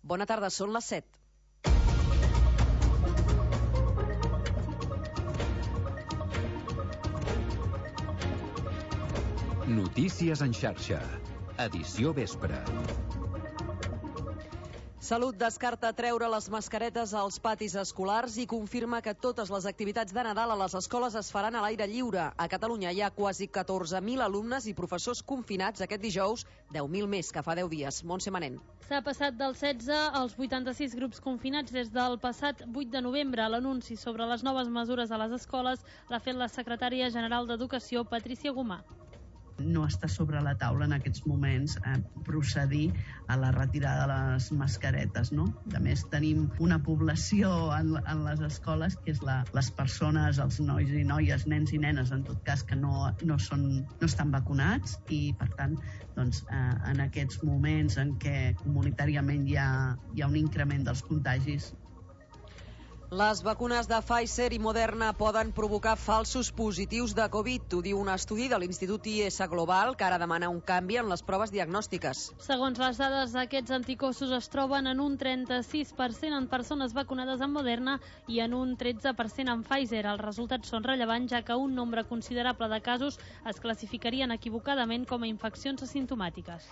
Bona tarda, són les 7. Notícies en xarxa. Edició vespre. Salut descarta treure les mascaretes als patis escolars i confirma que totes les activitats de Nadal a les escoles es faran a l'aire lliure. A Catalunya hi ha quasi 14.000 alumnes i professors confinats aquest dijous, 10.000 més que fa 10 dies. Montse Manent. S'ha passat dels 16 als 86 grups confinats des del passat 8 de novembre. L'anunci sobre les noves mesures a les escoles l'ha fet la secretària general d'Educació, Patrícia Gomà. No està sobre la taula en aquests moments procedir a la retirada de les mascaretes, no? A més, tenim una població en les escoles que és les persones, els nois i noies, nens i nenes, en tot cas, que no estan vacunats i, per tant, doncs, en aquests moments en què comunitàriament hi ha un increment dels contagis. Les vacunes de Pfizer i Moderna poden provocar falsos positius de Covid. Ho diu un estudi de l'Institut IS Global que ara demana un canvi en les proves diagnòstiques. Segons les dades, aquests anticossos es troben en un 36% en persones vacunades amb Moderna i en un 13% amb Pfizer. Els resultats són rellevants ja que un nombre considerable de casos es classificarien equivocadament com a infeccions asimptomàtiques.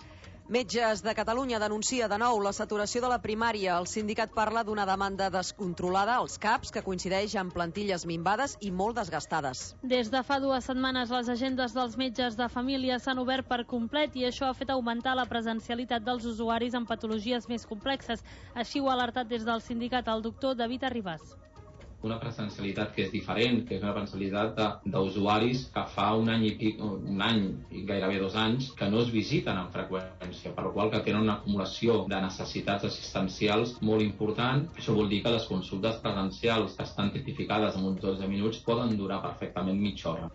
Metges de Catalunya denuncia de nou la saturació de la primària. El sindicat parla d'una demanda descontrolada als CAPs que coincideix amb plantilles minvades i molt desgastades. Des de fa 2 setmanes les agendes dels metges de família s'han obert per complet i això ha fet augmentar la presencialitat dels usuaris amb patologies més complexes. Així ho ha alertat des del sindicat el doctor David Arribas. Una presencialitat que és diferent, que és una presencialitat d'usuaris que fa un any i gairebé 2 anys que no es visiten amb freqüència, per la qual que tenen una acumulació de necessitats assistencials molt important. Això vol dir que les consultes presencials que estan tipificades en uns 12 minuts poden durar perfectament mitja hora.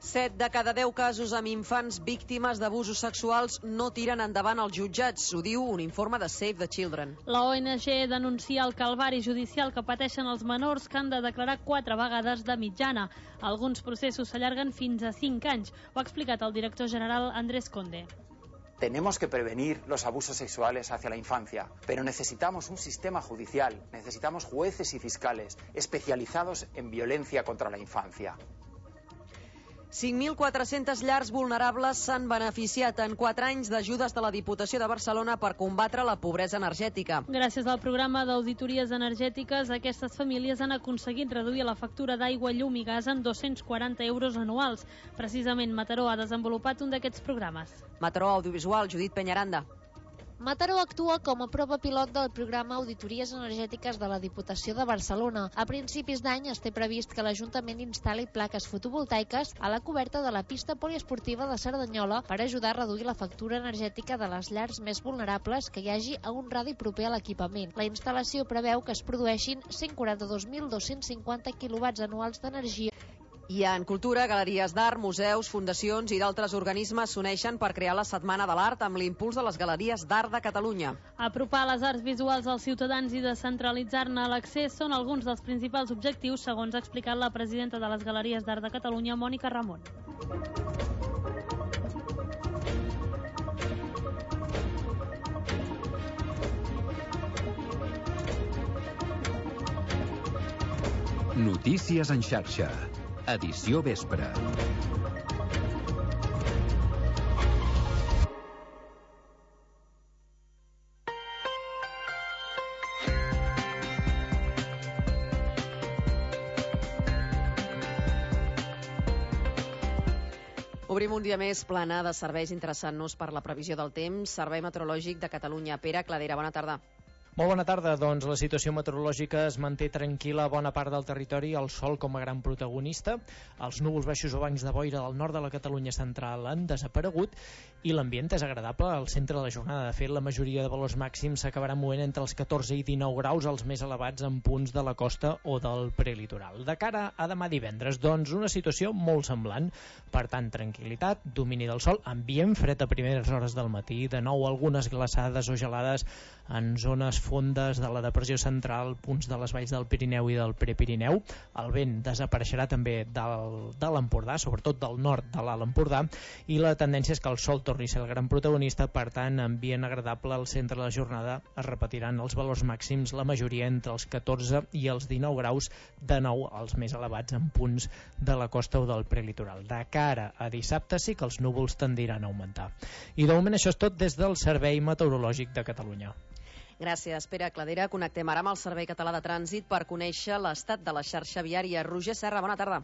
7 de cada 10 casos amb infants víctimes d'abusos sexuals no tiren endavant als jutjats. Ho diu un informe de Save the Children. La ONG denuncia el calvari judicial que pateixen els menors que han de declarar 4 vegades de mitjana. Alguns processos s'allarguen fins a 5 anys. Ho ha explicat el director general Andrés Conde. Tenemos que prevenir los abusos sexuales hacia la infancia, pero necesitamos un sistema judicial, necesitamos jueces y fiscales especializados en violencia contra la infancia. 5.400 llars vulnerables s'han beneficiat en 4 anys d'ajudes de la Diputació de Barcelona per combatre la pobresa energètica. Gràcies al programa d'auditories energètiques, aquestes famílies han aconseguit reduir la factura d'aigua, llum i gas en 240 euros anuals. Precisament Mataró ha desenvolupat un d'aquests programes. Mataró Audiovisual, Judit Peñaranda. Mataró actua com a prova pilot del programa Auditories Energètiques de la Diputació de Barcelona. A principis d'any es té previst que l'Ajuntament instal·li plaques fotovoltaiques a la coberta de la pista poliesportiva de Cerdanyola per ajudar a reduir la factura energètica de les llars més vulnerables que hi hagi a un radi proper a l'equipament. La instal·lació preveu que es produeixin 142.250 quilowatts anuals d'energia. I en cultura, galeries d'art, museus, fundacions i d'altres organismes s'uneixen per crear la Setmana de l'Art amb l'impuls de les Galeries d'Art de Catalunya. Apropar les arts visuals als ciutadans i descentralitzar-ne l'accés són alguns dels principals objectius, segons ha explicat la presidenta de les Galeries d'Art de Catalunya, Mònica Ramon. Notícies en xarxa. Edició vespre. Obrim un dia més plana de serveis interessant-nos per la previsió del temps. Servei Meteorològic de Catalunya. Pere Cladera, bona tarda. Molt bona tarda. Doncs la situació meteorològica es manté tranquil·la a bona part del territori, el sol com a gran protagonista. Els núvols baixos o bancs de boira del nord de la Catalunya central han desaparegut i l'ambient és agradable al centre de la jornada. De fet, la majoria de valors màxims s'acabaran movent entre els 14 i 19 graus, els més elevats en punts de la costa o del prelitoral. De cara a demà divendres, doncs una situació molt semblant. Per tant, tranquil·litat, domini del sol, ambient fred a primeres hores del matí, de nou algunes glaçades o gelades en zones fondes de la depressió central, punts de les valls del Pirineu i del Prepirineu. El vent desapareixerà també de l'Empordà, sobretot del nord de l'Alt Empordà, i la tendència és que el sol torni a ser el gran protagonista. Per tant, ambient agradable al centre de la jornada. Es repetiran els valors màxims, la majoria entre els 14 i els 19 graus, de nou els més elevats en punts de la costa o del prelitoral. De cara a dissabte sí que els núvols tendiran a augmentar. I de moment això és tot des del Servei Meteorològic de Catalunya. Gràcies, Pere Cladera. Connectem ara amb el Servei Català de Trànsit per conèixer l'estat de la xarxa viària. Roger Serra, bona tarda.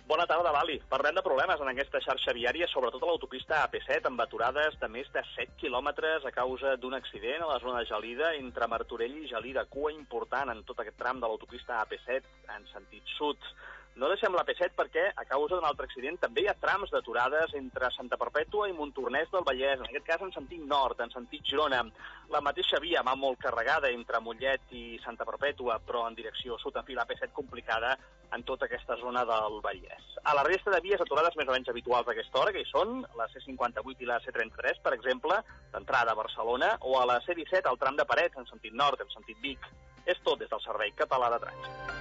Bona tarda, Lali. Parlem de problemes en aquesta xarxa viària, sobretot a l'autopista AP7, amb aturades de més de 7 quilòmetres a causa d'un accident a la zona de Gelida, entre Martorell i Gelida. Cua important en tot aquest tram de l'autopista AP7 en sentit sud. No deixem la P7 perquè, a causa d'un altre accident, també hi ha trams d'aturades entre Santa Perpètua i Montornès del Vallès, en aquest cas en sentit nord, en sentit Girona. La mateixa via va molt carregada entre Mollet i Santa Perpètua, però en direcció sud, en fi, la P7 complicada en tota aquesta zona del Vallès. A la resta de vies aturades més o menys habituals a aquesta hora, que hi són la C58 i la C33, per exemple, d'entrada a Barcelona, o a la C17 al tram de Parets, en sentit nord, en sentit Vic. És tot des del Servei Català de Trànsit.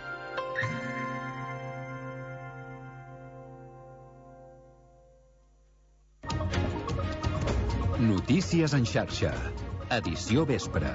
Notícies en xarxa. Edició vespre.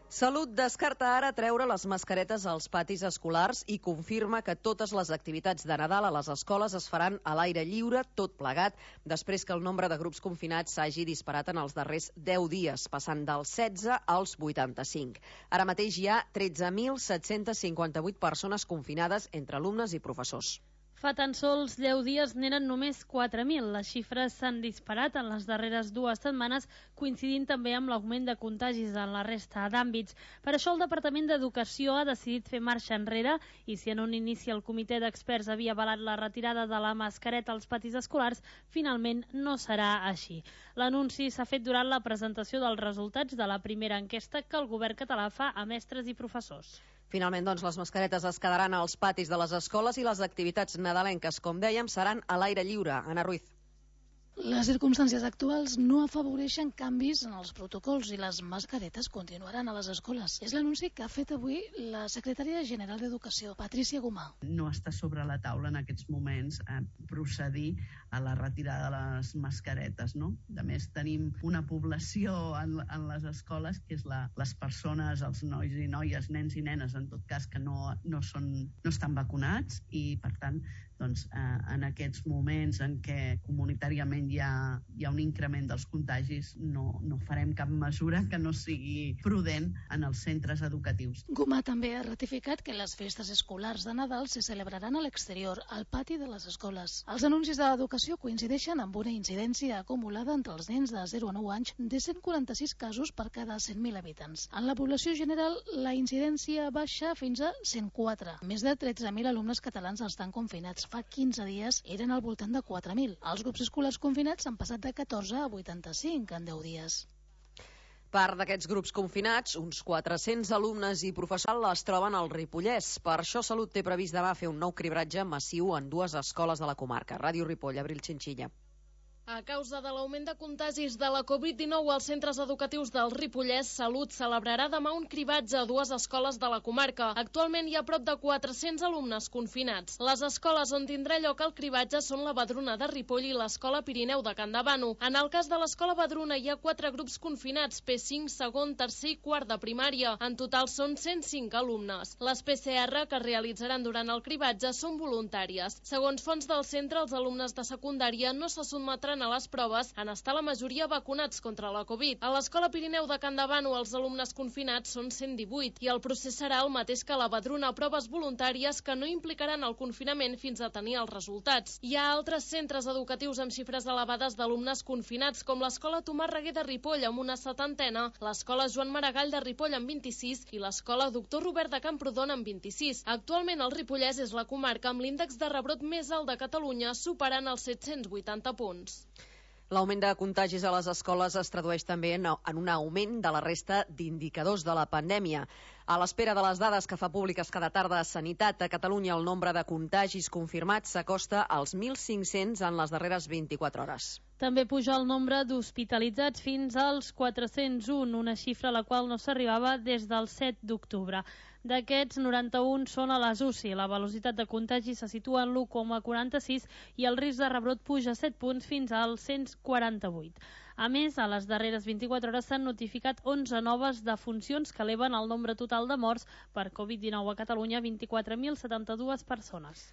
Salut descarta ara treure les mascaretes als patis escolars i confirma que totes les activitats de Nadal a les escoles es faran a l'aire lliure, tot plegat, després que el nombre de grups confinats s'hagi disparat en els darrers 10 dies, passant dels 16 als 85. Ara mateix hi ha 13.758 persones confinades entre alumnes i professors. Fa tan sols 10 dies n'eren només 4.000. Les xifres s'han disparat en les darreres 2 setmanes, coincidint també amb l'augment de contagis en la resta d'àmbits. Per això el Departament d'Educació ha decidit fer marxa enrere i si en un inici el comitè d'experts havia avalat la retirada de la mascareta als patis escolars, finalment no serà així. L'anunci s'ha fet durant la presentació dels resultats de la primera enquesta que el govern català fa a mestres i professors. Finalment, doncs, les mascaretes es quedaran als patis de les escoles i les activitats nadalenques, com dèiem, seran a l'aire lliure. Anna Ruiz. Les circumstàncies actuals no afavoreixen canvis en els protocols i les mascaretes continuaran a les escoles. És l'anunci que ha fet avui la secretària general d'Educació, Patrícia Gomà. No està sobre la taula en aquests moments procedir a la retirada de les mascaretes, no? A més, tenim una població en les escoles que és les persones, els nois i noies, nens i nenes, en tot cas, que no estan vacunats i, per tant, doncs, en aquests moments en què comunitàriament hi ha un increment dels contagis, no farem cap mesura que no sigui prudent en els centres educatius. Gomà també ha ratificat que les festes escolars de Nadal se celebraran a l'exterior, al pati de les escoles. Els anuncis de l'educació coincideixen amb una incidència acumulada entre els nens de 0 a 9 anys de 146 casos per cada 100.000 habitants. En la població general, la incidència baixa fins a 104. Més de 13.000 alumnes catalans estan confinats. Fa 15 dies eren al voltant de 4.000. Els grups escolars confinats han passat de 14 a 85 en 10 dies. Part d'aquests grups confinats, uns 400 alumnes i professors, es troben al Ripollès. Per això Salut té previst demà fer un nou cribratge massiu en 2 escoles de la comarca. Ràdio Ripoll, Abril Xinxilla. A causa de l'augment de contagis de la Covid-19 als centres educatius del Ripollès, Salut celebrarà demà un cribatge a 2 escoles de la comarca. Actualment hi ha prop de 400 alumnes confinats. Les escoles on tindrà lloc el cribatge són la Badruna de Ripoll i l'Escola Pirineu de Campdevànol. En el cas de l'Escola Badruna hi ha 4 grups confinats, P5, segon, tercer i quart de primària. En total són 105 alumnes. Les PCR que es realitzaran durant el cribatge són voluntàries. Segons fonts del centre, els alumnes de secundària no se sotmetran a les proves en estar la majoria vacunats contra la Covid. A l'Escola Pirineu de Campdevànol els alumnes confinats són 118 i el procés serà el mateix que la Badruna, proves voluntàries que no implicaran el confinament fins a tenir els resultats. Hi ha altres centres educatius amb xifres elevades d'alumnes confinats, com l'Escola Tomàs Reguer de Ripoll amb una 70, l'Escola Joan Maragall de Ripoll amb 26 i l'Escola Doctor Robert de Camprodon amb 26. Actualment el Ripollès és la comarca amb l'índex de rebrot més alt de Catalunya, superant els 780 punts. L'augment de contagis a les escoles es tradueix també en un augment de la resta d'indicadors de la pandèmia. A l'espera de les dades que fa públiques cada tarda a Sanitat, a Catalunya el nombre de contagis confirmats s'acosta als 1.500 en les darreres 24 hores. També puja el nombre d'hospitalitzats fins als 401, una xifra a la qual no s'arribava des del 7 d'octubre. D'aquests, 91 són a les UCI. La velocitat de contagi se situa en l'1,46 i el risc de rebrot puja 7 punts fins al 148. A més, a les darreres 24 hores s'han notificat 11 noves defuncions que eleven el nombre total de morts per Covid-19 a Catalunya a 24.072 persones.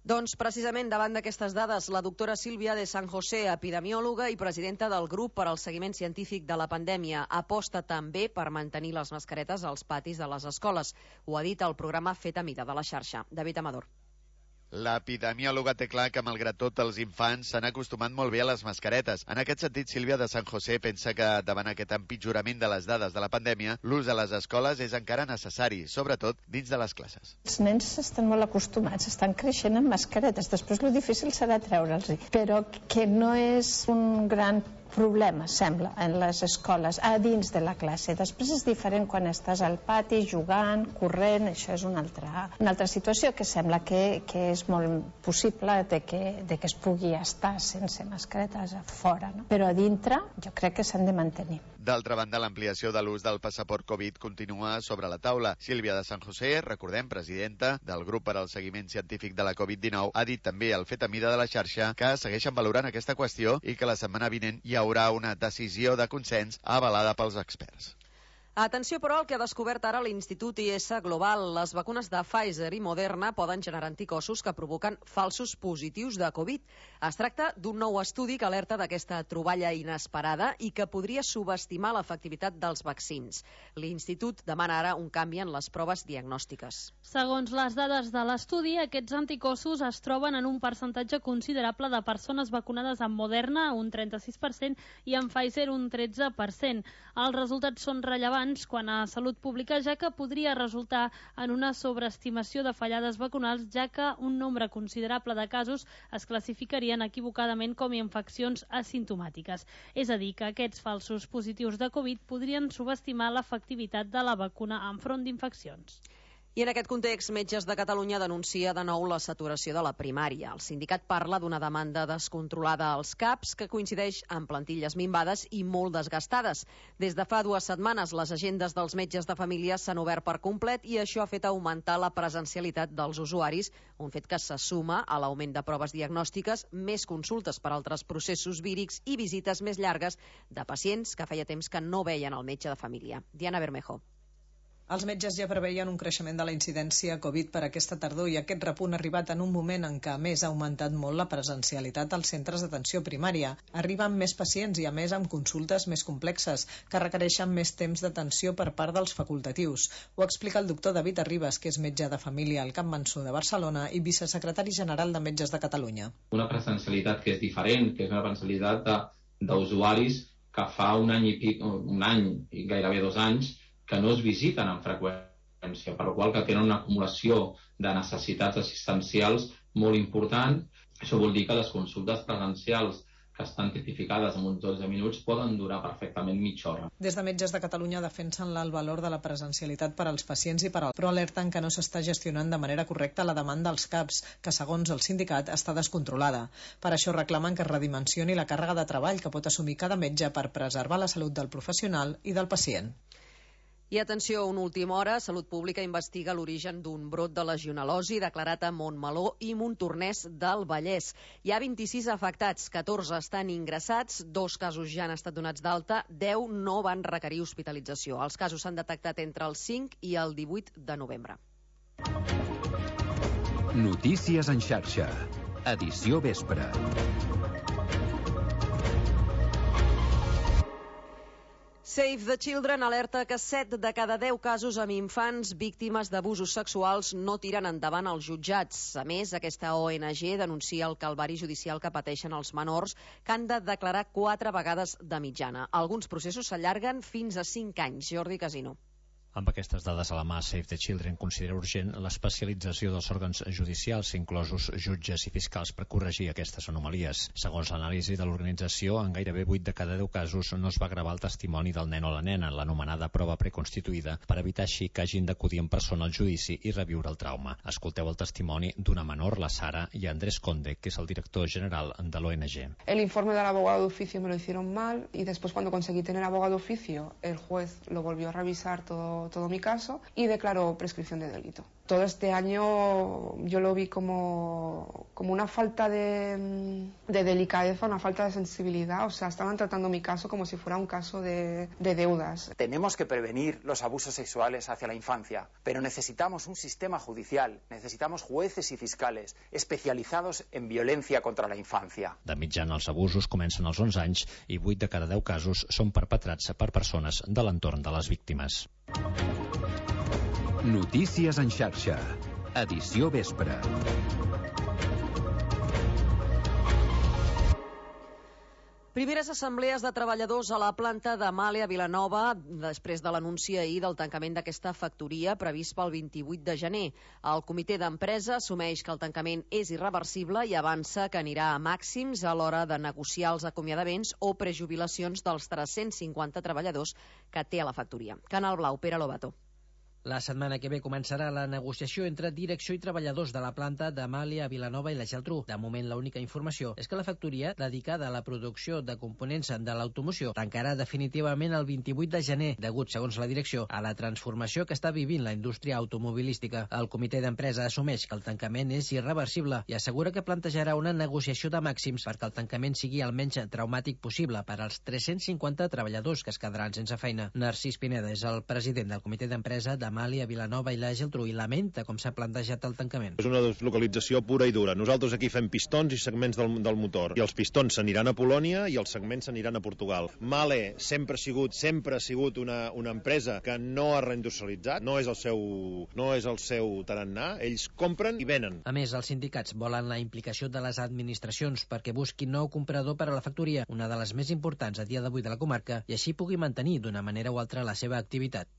Doncs precisament davant d'aquestes dades, la doctora Sílvia de San José, epidemiòloga i presidenta del grup per al seguiment científic de la pandèmia, aposta també per mantenir les mascaretes als patis de les escoles. Ho ha dit al programa Fet a Mida de la xarxa. David Amador. L'epidemiòloga té clar que, malgrat tot, els infants s'han acostumat molt bé a les mascaretes. En aquest sentit, Sílvia de San José pensa que, davant aquest empitjorament de les dades de la pandèmia, l'ús a les escoles és encara necessari, sobretot dins de les classes. Els nens estan molt acostumats, estan creixent amb mascaretes. Després, el difícil serà treure'ls, però que no és un gran problema, sembla, en les escoles, a dins de la classe. Després és diferent quan estàs al pati, jugant, corrent, això és una altra situació que sembla que és molt possible de que es pugui estar sense mascaretes a fora, no? Però a dintre jo crec que s'han de mantenir. D'altra banda, l'ampliació de l'ús del passaport Covid continua sobre la taula. Sílvia de San José, recordem, presidenta del grup per al seguiment científic de la Covid-19, ha dit també al Fet a Mida de la xarxa que segueixen valorant aquesta qüestió i que la setmana vinent hi haurà una decisió de consens avalada pels experts. Atenció, però, al que ha descobert ara l'Institut IS Global. Les vacunes de Pfizer i Moderna poden generar anticossos que provoquen falsos positius de Covid. Es tracta d'un nou estudi que alerta d'aquesta troballa inesperada i que podria subestimar l'efectivitat dels vaccins. L'Institut demana ara un canvi en les proves diagnòstiques. Segons les dades de l'estudi, aquests anticossos es troben en un percentatge considerable de persones vacunades amb Moderna, un 36%, i amb Pfizer, un 13%. Els resultats són rellevants quan a Salut Pública, ja que podria resultar en una sobreestimació de fallades vacunals, ja que un nombre considerable de casos es classificarien equivocadament com a infeccions asimptomàtiques. És a dir, que aquests falsos positius de Covid podrien subestimar l'efectivitat de la vacuna enfront d'infeccions. I en aquest context, Metges de Catalunya denuncia de nou la saturació de la primària. El sindicat parla d'una demanda descontrolada als CAPs que coincideix amb plantilles minvades i molt desgastades. Des de fa 2 setmanes, les agendes dels metges de família s'han obert per complet i això ha fet augmentar la presencialitat dels usuaris, un fet que se suma a l'augment de proves diagnòstiques, més consultes per altres processos vírics i visites més llargues de pacients que feia temps que no veien el metge de família. Diana Bermejo. Els metges ja preveien un creixement de la incidència Covid per aquesta tardor i aquest repunt ha arribat en un moment en què, a més, ha augmentat molt la presencialitat als centres d'atenció primària. Arriben més pacients i, a més, amb consultes més complexes, que requereixen més temps d'atenció per part dels facultatius. Ho explica el doctor David Arribas, que és metge de família al Camp Mansó de Barcelona i vicesecretari general de Metges de Catalunya. Una presencialitat que és diferent, que és una presencialitat d'usuaris que fa un any i gairebé 2 anys, que no es visiten amb freqüència, per la qual que tenen una acumulació de necessitats assistencials molt important. Això vol dir que les consultes presencials que estan tipificades en uns 12 minuts poden durar perfectament mitja hora. Des de Metges de Catalunya defensen el valor de la presencialitat per als pacients però alerten que no s'està gestionant de manera correcta la demanda als CAPs, que segons el sindicat està descontrolada. Per això reclamen que es redimensioni la càrrega de treball que pot assumir cada metge per preservar la salut del professional i del pacient. I atenció, a una última hora, Salut Pública investiga l'origen d'un brot de legionel·losi declarat a Montmeló i Montornès del Vallès. Hi ha 26 afectats, 14 estan ingressats, 2 casos ja han estat donats d'alta, 10 no van requerir hospitalització. Els casos s'han detectat entre el 5 i el 18 de novembre. Notícies en xarxa. Edició vespre. Save the Children alerta que 7 de cada 10 casos amb infants víctimes d'abusos sexuals no tiren endavant als jutjats. A més, aquesta ONG denuncia el calvari judicial que pateixen els menors, que han de declarar 4 vegades de mitjana. Alguns processos s'allarguen fins a 5 anys. Jordi Casino. Amb aquestes dades a la mà, Save the Children considera urgent l'especialització dels òrgans judicials, inclosos jutges i fiscals, per corregir aquestes anomalies. Segons l'anàlisi de l'organització, en gairebé 8 de cada 10 casos no es va gravar el testimoni del nen o la nena, l'anomenada prova preconstituïda, per evitar així que hagin d'acudir en persona al judici i reviure el trauma. Escolteu el testimoni d'una menor, la Sara, i Andrés Conde, que és el director general de l'ONG. El informe del abogado de oficio me lo hicieron mal y después, cuando conseguí tener abogado de oficio, el juez lo volvió a revisar todo mi caso y declaró prescripción de delito. Todo este año yo lo vi como una falta de delicadeza, una falta de sensibilidad. O sea, estaban tratando mi caso como si fuera un caso de deudas. Tenemos que prevenir los abusos sexuales hacia la infancia, pero necesitamos un sistema judicial, necesitamos jueces y fiscales especializados en violencia contra la infancia. De mitjana, els abusos comencen als 11 anys i 8 de cada 10 casos són perpetrats per persones de l'entorn de les víctimes. Notícies en xarxa. Edició vespre. Primeres assemblees de treballadors a la planta de Mahle a Vilanova després de l'anunci ahir del tancament d'aquesta factoria previst pel 28 de gener. El comitè d'empresa assumeix que el tancament és irreversible i avança que anirà a màxims a l'hora de negociar els acomiadaments o prejubilacions dels 350 treballadors que té a la factoria. Canal Blau, Pere Lobato. La setmana que ve començarà la negociació entre direcció i treballadors de la planta de Mahle a Vilanova i la Geltrú. De moment, l'única informació és que la factoria, dedicada a la producció de components de l'automoció, tancarà definitivament el 28 de gener, degut, segons la direcció, a la transformació que està vivint la indústria automobilística. El comitè d'empresa assumeix que el tancament és irreversible i assegura que plantejarà una negociació de màxims perquè el tancament sigui el menys traumàtic possible per als 350 treballadors que es quedaran sense feina. Narcís Pineda és el president del comitè d'empresa de Mahle a Vilanova i la Geltrú i lamenta com s'ha plantejat el tancament. És una deslocalització pura i dura. Nosaltres aquí fem pistons i segments del motor. I els pistons s'aniran a Polònia i els segments s'aniran a Portugal. Mahle sempre ha sigut una empresa que no ha reindustrialitzat, no és el seu tarannà. Ells compren i venen. A més, els sindicats volen la implicació de les administracions perquè busquin nou comprador per a la factoria, una de les més importants a dia d'avui de la comarca, i així pugui mantenir d'una manera o altra la seva activitat.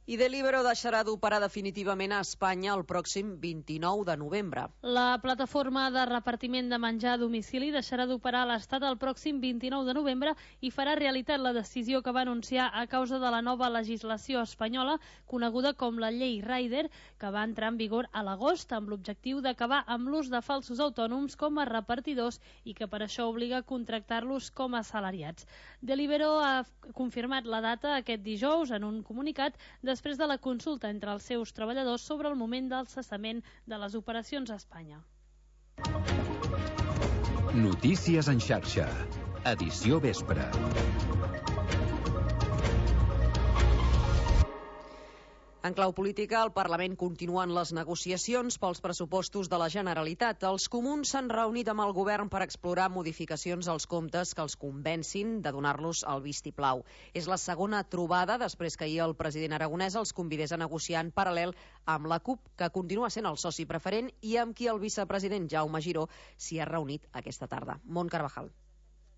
I Deliveroo deixarà d'operar definitivament a Espanya el pròxim 29 de novembre. La plataforma de repartiment de menjar a domicili deixarà d'operar a l'Estat el pròxim 29 de novembre i farà realitat la decisió que va anunciar a causa de la nova legislació espanyola, coneguda com la llei Rider, que va entrar en vigor a l'agost amb l'objectiu d'acabar amb l'ús de falsos autònoms com a repartidors i que per això obliga a contractar-los com a assalariats. Deliveroo ha confirmat la data aquest dijous en un comunicat després de la consulta entre els seus treballadors sobre el moment del cessament de les operacions a Espanya. Notícies en xarxa. Edició vespre. En clau política, el Parlament continuen les negociacions pels pressupostos de la Generalitat. Els comuns s'han reunit amb el govern per explorar modificacions als comptes que els convencin de donar-los el vistiplau. És la segona trobada després que ahir el president aragonès els convidés a negociar en paral·lel amb la CUP, que continua sent el soci preferent, i amb qui el vicepresident Jaume Giró s'hi ha reunit aquesta tarda. Mont Carvajal.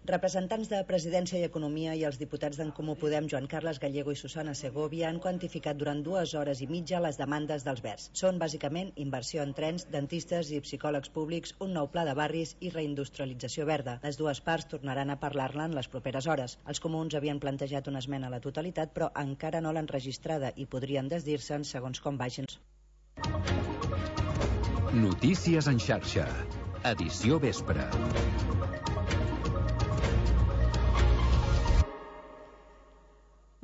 Representants de Presidència i Economia i els diputats d'en Comú Podem, Joan Carles Gallego i Susana Segovia, han quantificat durant 2 hores i mitja les demandes dels Verds. Són bàsicament inversió en trens, dentistes i psicòlegs públics, un nou pla de barris i reindustrialització verda. Les dues parts tornaran a parlar-ne en les properes hores. Els comuns havien plantejat una esmena a la totalitat, però encara no l'han registrada i podrien desdir-se'n segons com vagin. Notícies en xarxa. Edició vespre.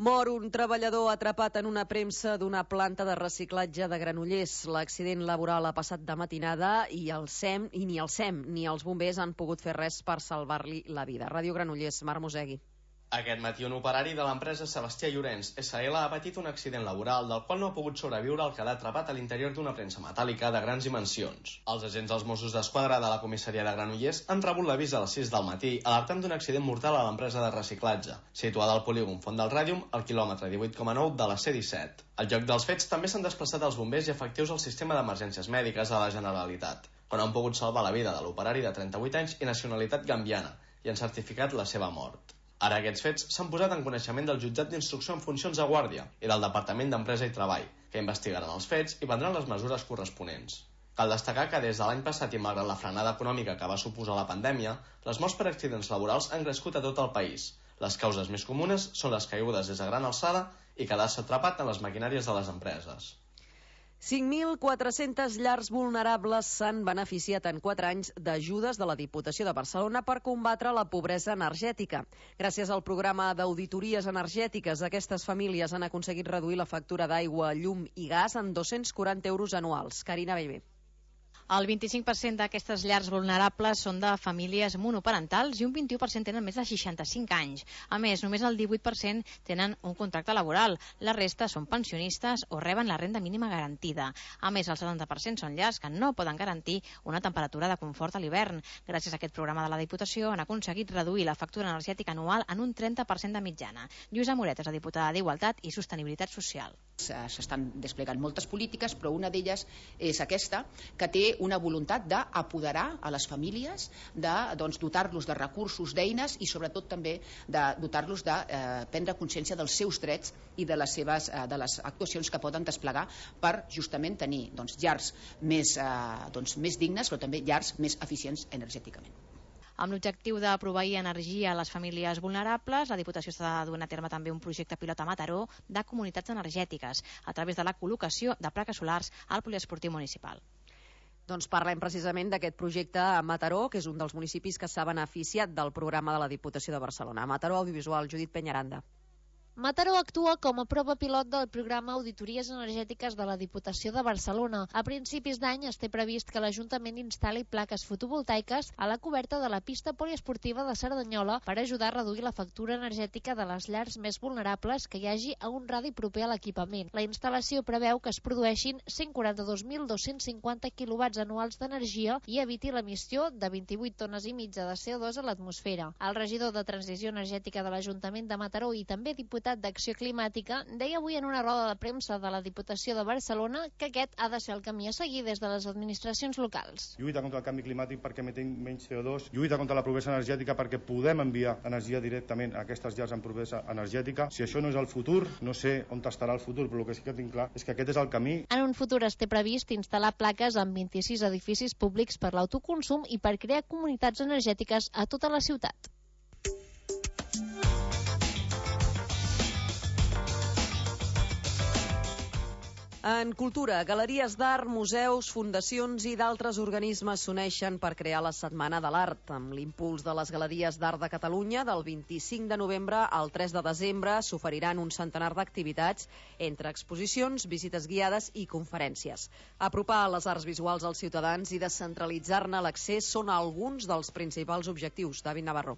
Mor un treballador atrapat en una premsa d'una planta de reciclatge de Granollers. L'accident laboral ha passat de matinada i ni el SEM ni els bombers han pogut fer res per salvar-li la vida. Ràdio Granollers, Marc Mosegui. Aquest matí un operari de l'empresa Sebastià Llorenç SL ha patit un accident laboral del qual no ha pogut sobreviure al quedar atrapat a l'interior d'una premsa metàl·lica de grans dimensions. Els agents dels Mossos d'Esquadra de la comissaria de Granollers han rebut l'avís a les 6 del matí alertant d'un accident mortal a l'empresa de reciclatge, situada al polígon Font del Ràdium, al quilòmetre 18,9 de la C-17. Al lloc dels fets també s'han desplaçat els bombers i efectius al sistema d'emergències mèdiques de la Generalitat, on han pogut salvar la vida de l'operari de 38 anys i nacionalitat gambiana i han certificat la seva mort. Ara aquests fets s'han posat en coneixement del jutjat d'instrucció en funcions de guàrdia i del Departament d'Empresa i Treball, que investigaran els fets i prendran les mesures corresponents. Cal destacar que des de l'any passat i malgrat la frenada econòmica que va suposar la pandèmia, les morts per accidents laborals han crescut a tot el país. Les causes més comunes són les caigudes des de gran alçada i quedar-se atrapat en les maquinàries de les empreses. 5.400 llars vulnerables s'han beneficiat en 4 anys d'ajudes de la Diputació de Barcelona per combatre la pobresa energètica. Gràcies al programa d'auditories energètiques, aquestes famílies han aconseguit reduir la factura d'aigua, llum i gas en 240 euros anuals. Carina Bellver. El 25% d'aquestes llars vulnerables són de famílies monoparentals i un 21% tenen més de 65 anys. A més, només el 18% tenen un contracte laboral. La resta són pensionistes o reben la renda mínima garantida. A més, el 70% són llars que no poden garantir una temperatura de confort a l'hivern. Gràcies a aquest programa de la Diputació han aconseguit reduir la factura energètica anual en un 30% de mitjana. Lluïsa Moret és la diputada d'Igualtat i Sostenibilitat Social. S'estan desplegant moltes polítiques, però una d'elles és aquesta, que té una voluntat d'apoderar a les famílies, de dotar-los de recursos, d'eines i sobretot també de dotar-los de prendre consciència dels seus drets i de les actuacions que poden desplegar per justament tenir llars més dignes, però també llars més eficients energèticament. Amb l'objectiu de proveir energia a les famílies vulnerables, la Diputació està duent a terme també un projecte pilot a Mataró de comunitats energètiques a través de la col·locació de plaques solars al poliesportiu municipal. Doncs parlem precisament d'aquest projecte a Mataró, que és un dels municipis que s'ha beneficiat del programa de la Diputació de Barcelona. Mataró Audiovisual, Judit Peñaranda. Mataró actua com a prova pilot del programa Auditories Energètiques de la Diputació de Barcelona. A principis d'any es té previst que l'Ajuntament instal·li plaques fotovoltaiques a la coberta de la pista poliesportiva de Cerdanyola per ajudar a reduir la factura energètica de les llars més vulnerables que hi hagi a un radi proper a l'equipament. La instal·lació preveu que es produeixin 142.250 quilowatts anuals d'energia i eviti l'emissió de 28 tones i mitja de CO2 a l'atmosfera. El regidor de Transició Energètica de l'Ajuntament de Mataró i també diputat d'Acció Climàtica deia avui en una roda de premsa de la Diputació de Barcelona que aquest ha de ser el camí a seguir des de les administracions locals. Lluita contra el canvi climàtic perquè emetem menys CO2, lluita contra la pobresa energètica perquè podem enviar energia directament a aquestes llars amb pobresa energètica. Si això no és el futur, no sé on estarà el futur, però el que sí que tinc clar és que aquest és el camí. En un futur es té previst instal·lar plaques en 26 edificis públics per l'autoconsum i per crear comunitats energètiques a tota la ciutat. En cultura, galeries d'art, museus, fundacions i d'altres organismes s'uneixen per crear la Setmana de l'Art. Amb l'impuls de les Galeries d'Art de Catalunya, del 25 de novembre al 3 de desembre s'oferiran un centenar d'activitats entre exposicions, visites guiades i conferències. Apropar les arts visuals als ciutadans i descentralitzar-ne l'accés són alguns dels principals objectius. David Navarro.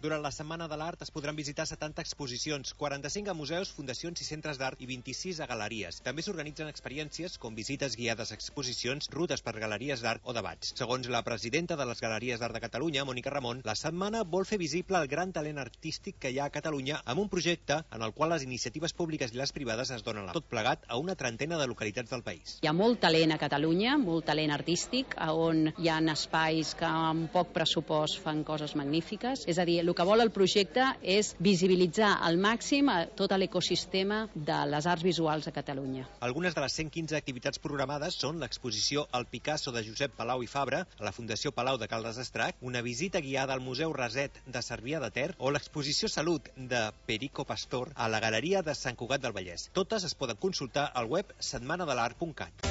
Durant la Setmana de l'Art es podran visitar 70 exposicions, 45 a museus, fundacions i centres d'art i 26 a galeries. També s'organitzen experiències com visites guiades a exposicions, rutes per galeries d'art o debats. Segons la presidenta de les Galeries d'Art de Catalunya, Mònica Ramon, la setmana vol fer visible el gran talent artístic que hi ha a Catalunya amb un projecte en el qual les iniciatives públiques i les privades es donen tot plegat a una trentena de localitats del país. Hi ha molt talent a Catalunya, molt talent artístic, on hi ha espais que amb poc pressupost fan coses magnífiques. És a dir, el que vol el projecte és visibilitzar al màxim tot l'ecosistema de les arts visuals a Catalunya. Algunes de les 115 activitats programades són l'exposició El Picasso de Josep Palau i Fabra a la Fundació Palau de Caldes d'Estrac, una visita guiada al Museu Raset de Cervià de Ter o l'exposició Salut de Perico Pastor a la Galeria de Sant Cugat del Vallès. Totes es poden consultar al web setmanadelart.cat.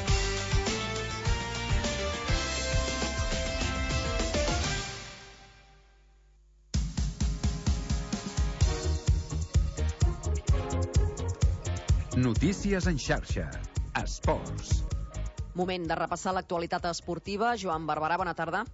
Notícies en xarxa. Esports. Moment de repassar l'actualitat esportiva. Joan Barberà, bona tarda.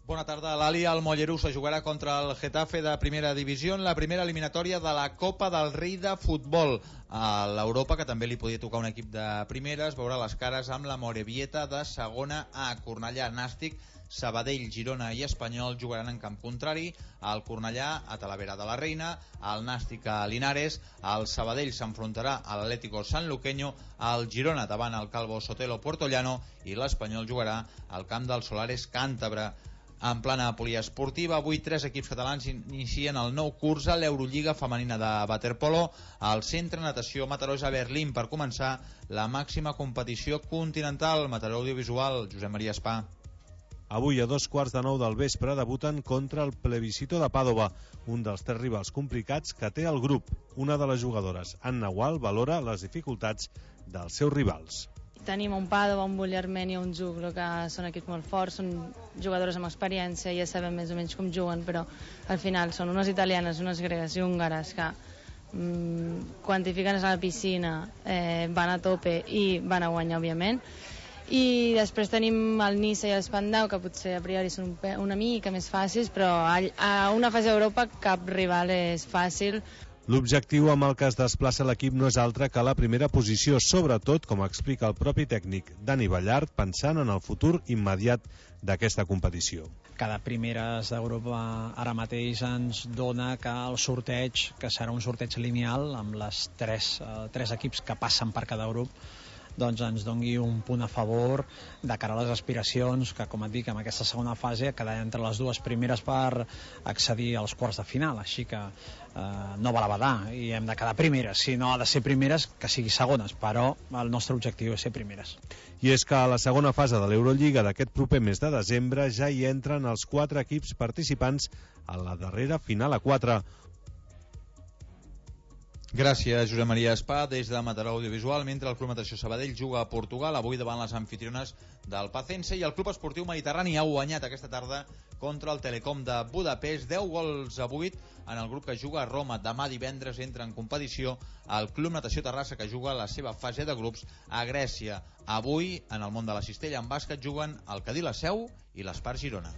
Bona tarda. L'Ali al Mollerús se jugarà contra el Getafe de primera divisió en la primera eliminatòria de la Copa del Rei de Futbol. A l'Europa, que també li podia tocar un equip de primera, es veurà les cares amb la Morevieta de segona A. Cornellà, Nàstic, Sabadell, Girona i Espanyol jugaran en camp contrari. El Cornellà a Talavera de la Reina, el Nàstic a Linares, el Sabadell s'enfrontarà a l'Atlético Sanluqueño, el Girona davant el Calvo Sotelo Puertollano i l'Espanyol jugarà al camp del Solares Càntabre. En plana poliesportiva, avui 3 equips catalans inicien el nou curs a l'Eurolliga femenina de waterpolo al Centre Natació Mataró a Berlín per començar la màxima competició continental. Mataró Audiovisual, Josep Maria Espà. Avui a 8:45 del vespre debuten contra el Plebiscito de Pàdova, un dels 3 rivals complicats que té el grup. Una de les jugadores, Anna Gual, valora les dificultats dels seus rivals. Tenim un Pàdova, un Bulli-Armeni i un Juglo, que són equips molt forts, són jugadores amb experiència, ja sabem més o menys com juguen, però al final són unes italianes, unes gregues i húngares que quan t'hi fiquen a la piscina van a tope i van a guanyar, òbviament. I després tenim el Niça i l'Espandau, que potser a priori són una mica més fàcils, però a una fase d'Europa cap rival és fàcil. L'objectiu amb el que es desplaça l'equip no és altre que la primera posició, sobretot, com explica el propi tècnic Dani Ballart, pensant en el futur immediat d'aquesta competició. Cada primeres d'Europa ara mateix ens dona que el sorteig, que serà un sorteig lineal amb les tres equips que passen per cada grup, doncs ens doni un punt a favor de cara a les aspiracions que, com et dic, en aquesta segona fase quedar entre les 2 primeres per accedir als quarts de final, així que no val a badar i hem de quedar primeres. Si no ha de ser primeres, que sigui segones, però el nostre objectiu és ser primeres. I és que a la segona fase de l'Eurolliga d'aquest proper mes de desembre ja hi entren els 4 equips participants a la darrera final a 4. Gràcies, Josep Maria Espà, des de Mataró Audiovisual. Mentre el Club Natació Sabadell juga a Portugal, avui davant les anfitriones del Pacense, i el Club Esportiu Mediterrani ha guanyat aquesta tarda contra el Telecom de Budapest, 10 gols a 8 en el grup que juga a Roma. Demà divendres entra en competició el Club Natació Terrassa, que juga la seva fase de grups a Grècia. Avui, en el món de la cistella, en bàsquet juguen el Cadí La Seu i l'Espart Girona.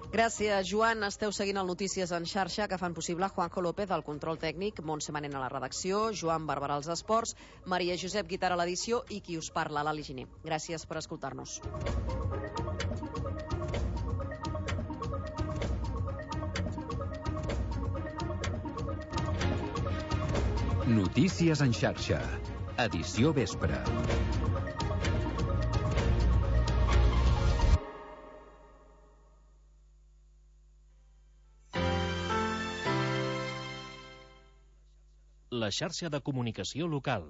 Gràcies, Joan. Esteu seguint el Notícies en xarxa, que fan possible Juanjo López al control tècnic, Montse Manent a la redacció, Joan Barberà als esports, Maria Josep Guitar a l'edició i qui us parla, l'Ali Giner. Gràcies per escoltar-nos. Notícies en xarxa. Edició vespre. La xarxa de comunicació local.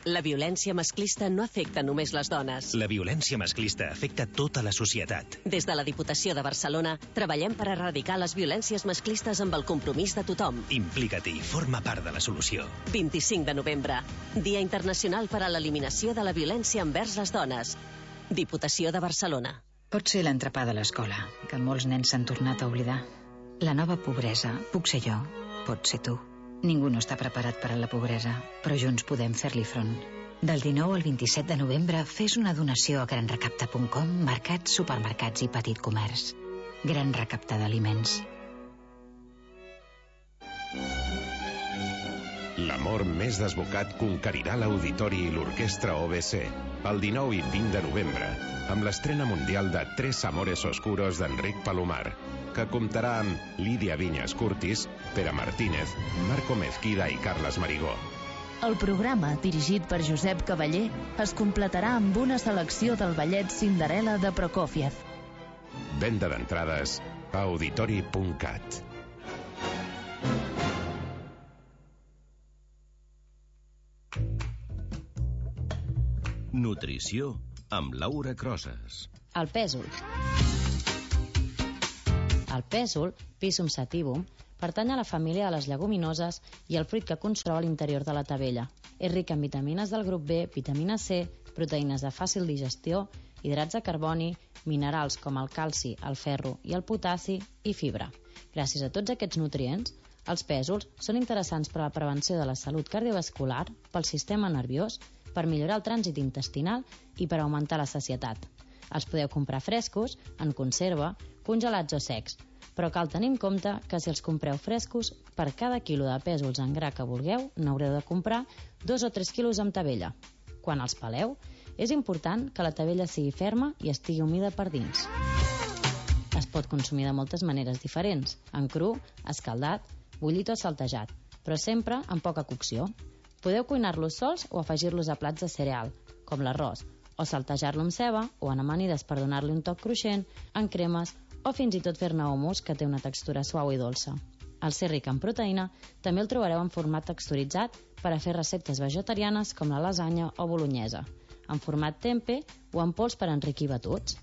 La violència masclista no afecta només les dones. La violència masclista afecta tota la societat. Des de la Diputació de Barcelona treballem per erradicar les violències masclistes amb el compromís de tothom. Implica't-hi, forma part de la solució. 25 de novembre, Dia Internacional per a l'Eliminació de la Violència envers les Dones. Diputació de Barcelona. Pot ser l'entrepà de l'escola, que molts nens s'han tornat a oblidar. La nova pobresa, puc ser jo, pot ser tu. Ningú no està preparat per a la pobresa, però junts podem fer-li front. Del 19 al 27 de novembre, fes una donació a granrecapta.com, mercats, supermercats i petit comerç. Gran Recapta d'Aliments. L'amor més desbocat conquerirà l'Auditori i l'Orquestra OBC el 19 i 20 de novembre, amb l'estrena mundial de Tres Amores Oscuros d'Enric Palomar, que comptarà amb Lídia Vinyes Curtis, Pere Martínez, Marco Mezquida i Carles Marigó. El programa, dirigit per Josep Cavaller, es completarà amb una selecció del ballet Cinderella de Prokofiev. Venda d'entrades a auditori.cat. Nutrició amb Laura Crosas. El pèsol. El pèsol, Pisum sativum, pertany a la família de les lleguminoses i el fruit que conserva a l'interior de la tavella. És ric en vitamines del grup B, vitamina C, proteïnes de fàcil digestió, hidrats de carboni, minerals com el calci, el ferro i el potassi i fibra. Gràcies a tots aquests nutrients, els pèsols són interessants per a la prevenció de la salut cardiovascular, pel sistema nerviós, per millorar el trànsit intestinal i per augmentar la sacietat. Els podeu comprar frescos, en conserva, congelats o secs, però cal tenir en compte que si els compreu frescos, per cada quilo de pèsols en gra que vulgueu, n'haureu de comprar 2 o 3 quilos amb tavella. Quan els peleu, és important que la tavella sigui ferma i estigui humida per dins. Es pot consumir de moltes maneres diferents, en cru, escaldat, bullit o saltejat, però sempre amb poca cocció. Podeu cuinar-los sols o afegir-los a plats de cereal, com l'arròs, o saltejar-lo amb ceba o en amanides per donar-li un toc cruixent, en cremes o fins i tot fer-ne hummus, que té una textura suau i dolça. Al ser ric en proteïna, també el trobareu en format texturitzat per a fer receptes vegetarianes com la lasanya o bolognesa, en format tempe o en pols per enriquir batuts.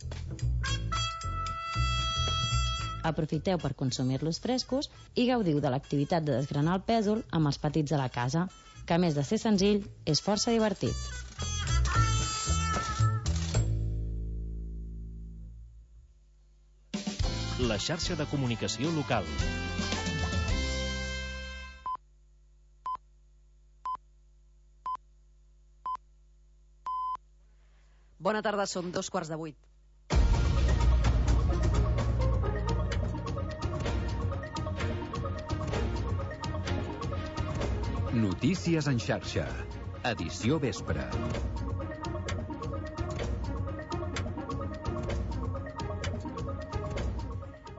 Aprofiteu per consumir-los frescos i gaudiu de l'activitat de desgranar el pèsol amb els petits de la casa, que a més de ser senzill, és força divertit. La xarxa de comunicació local. Bona tarda, són 7:45. Notícies en xarxa. Edició vespre.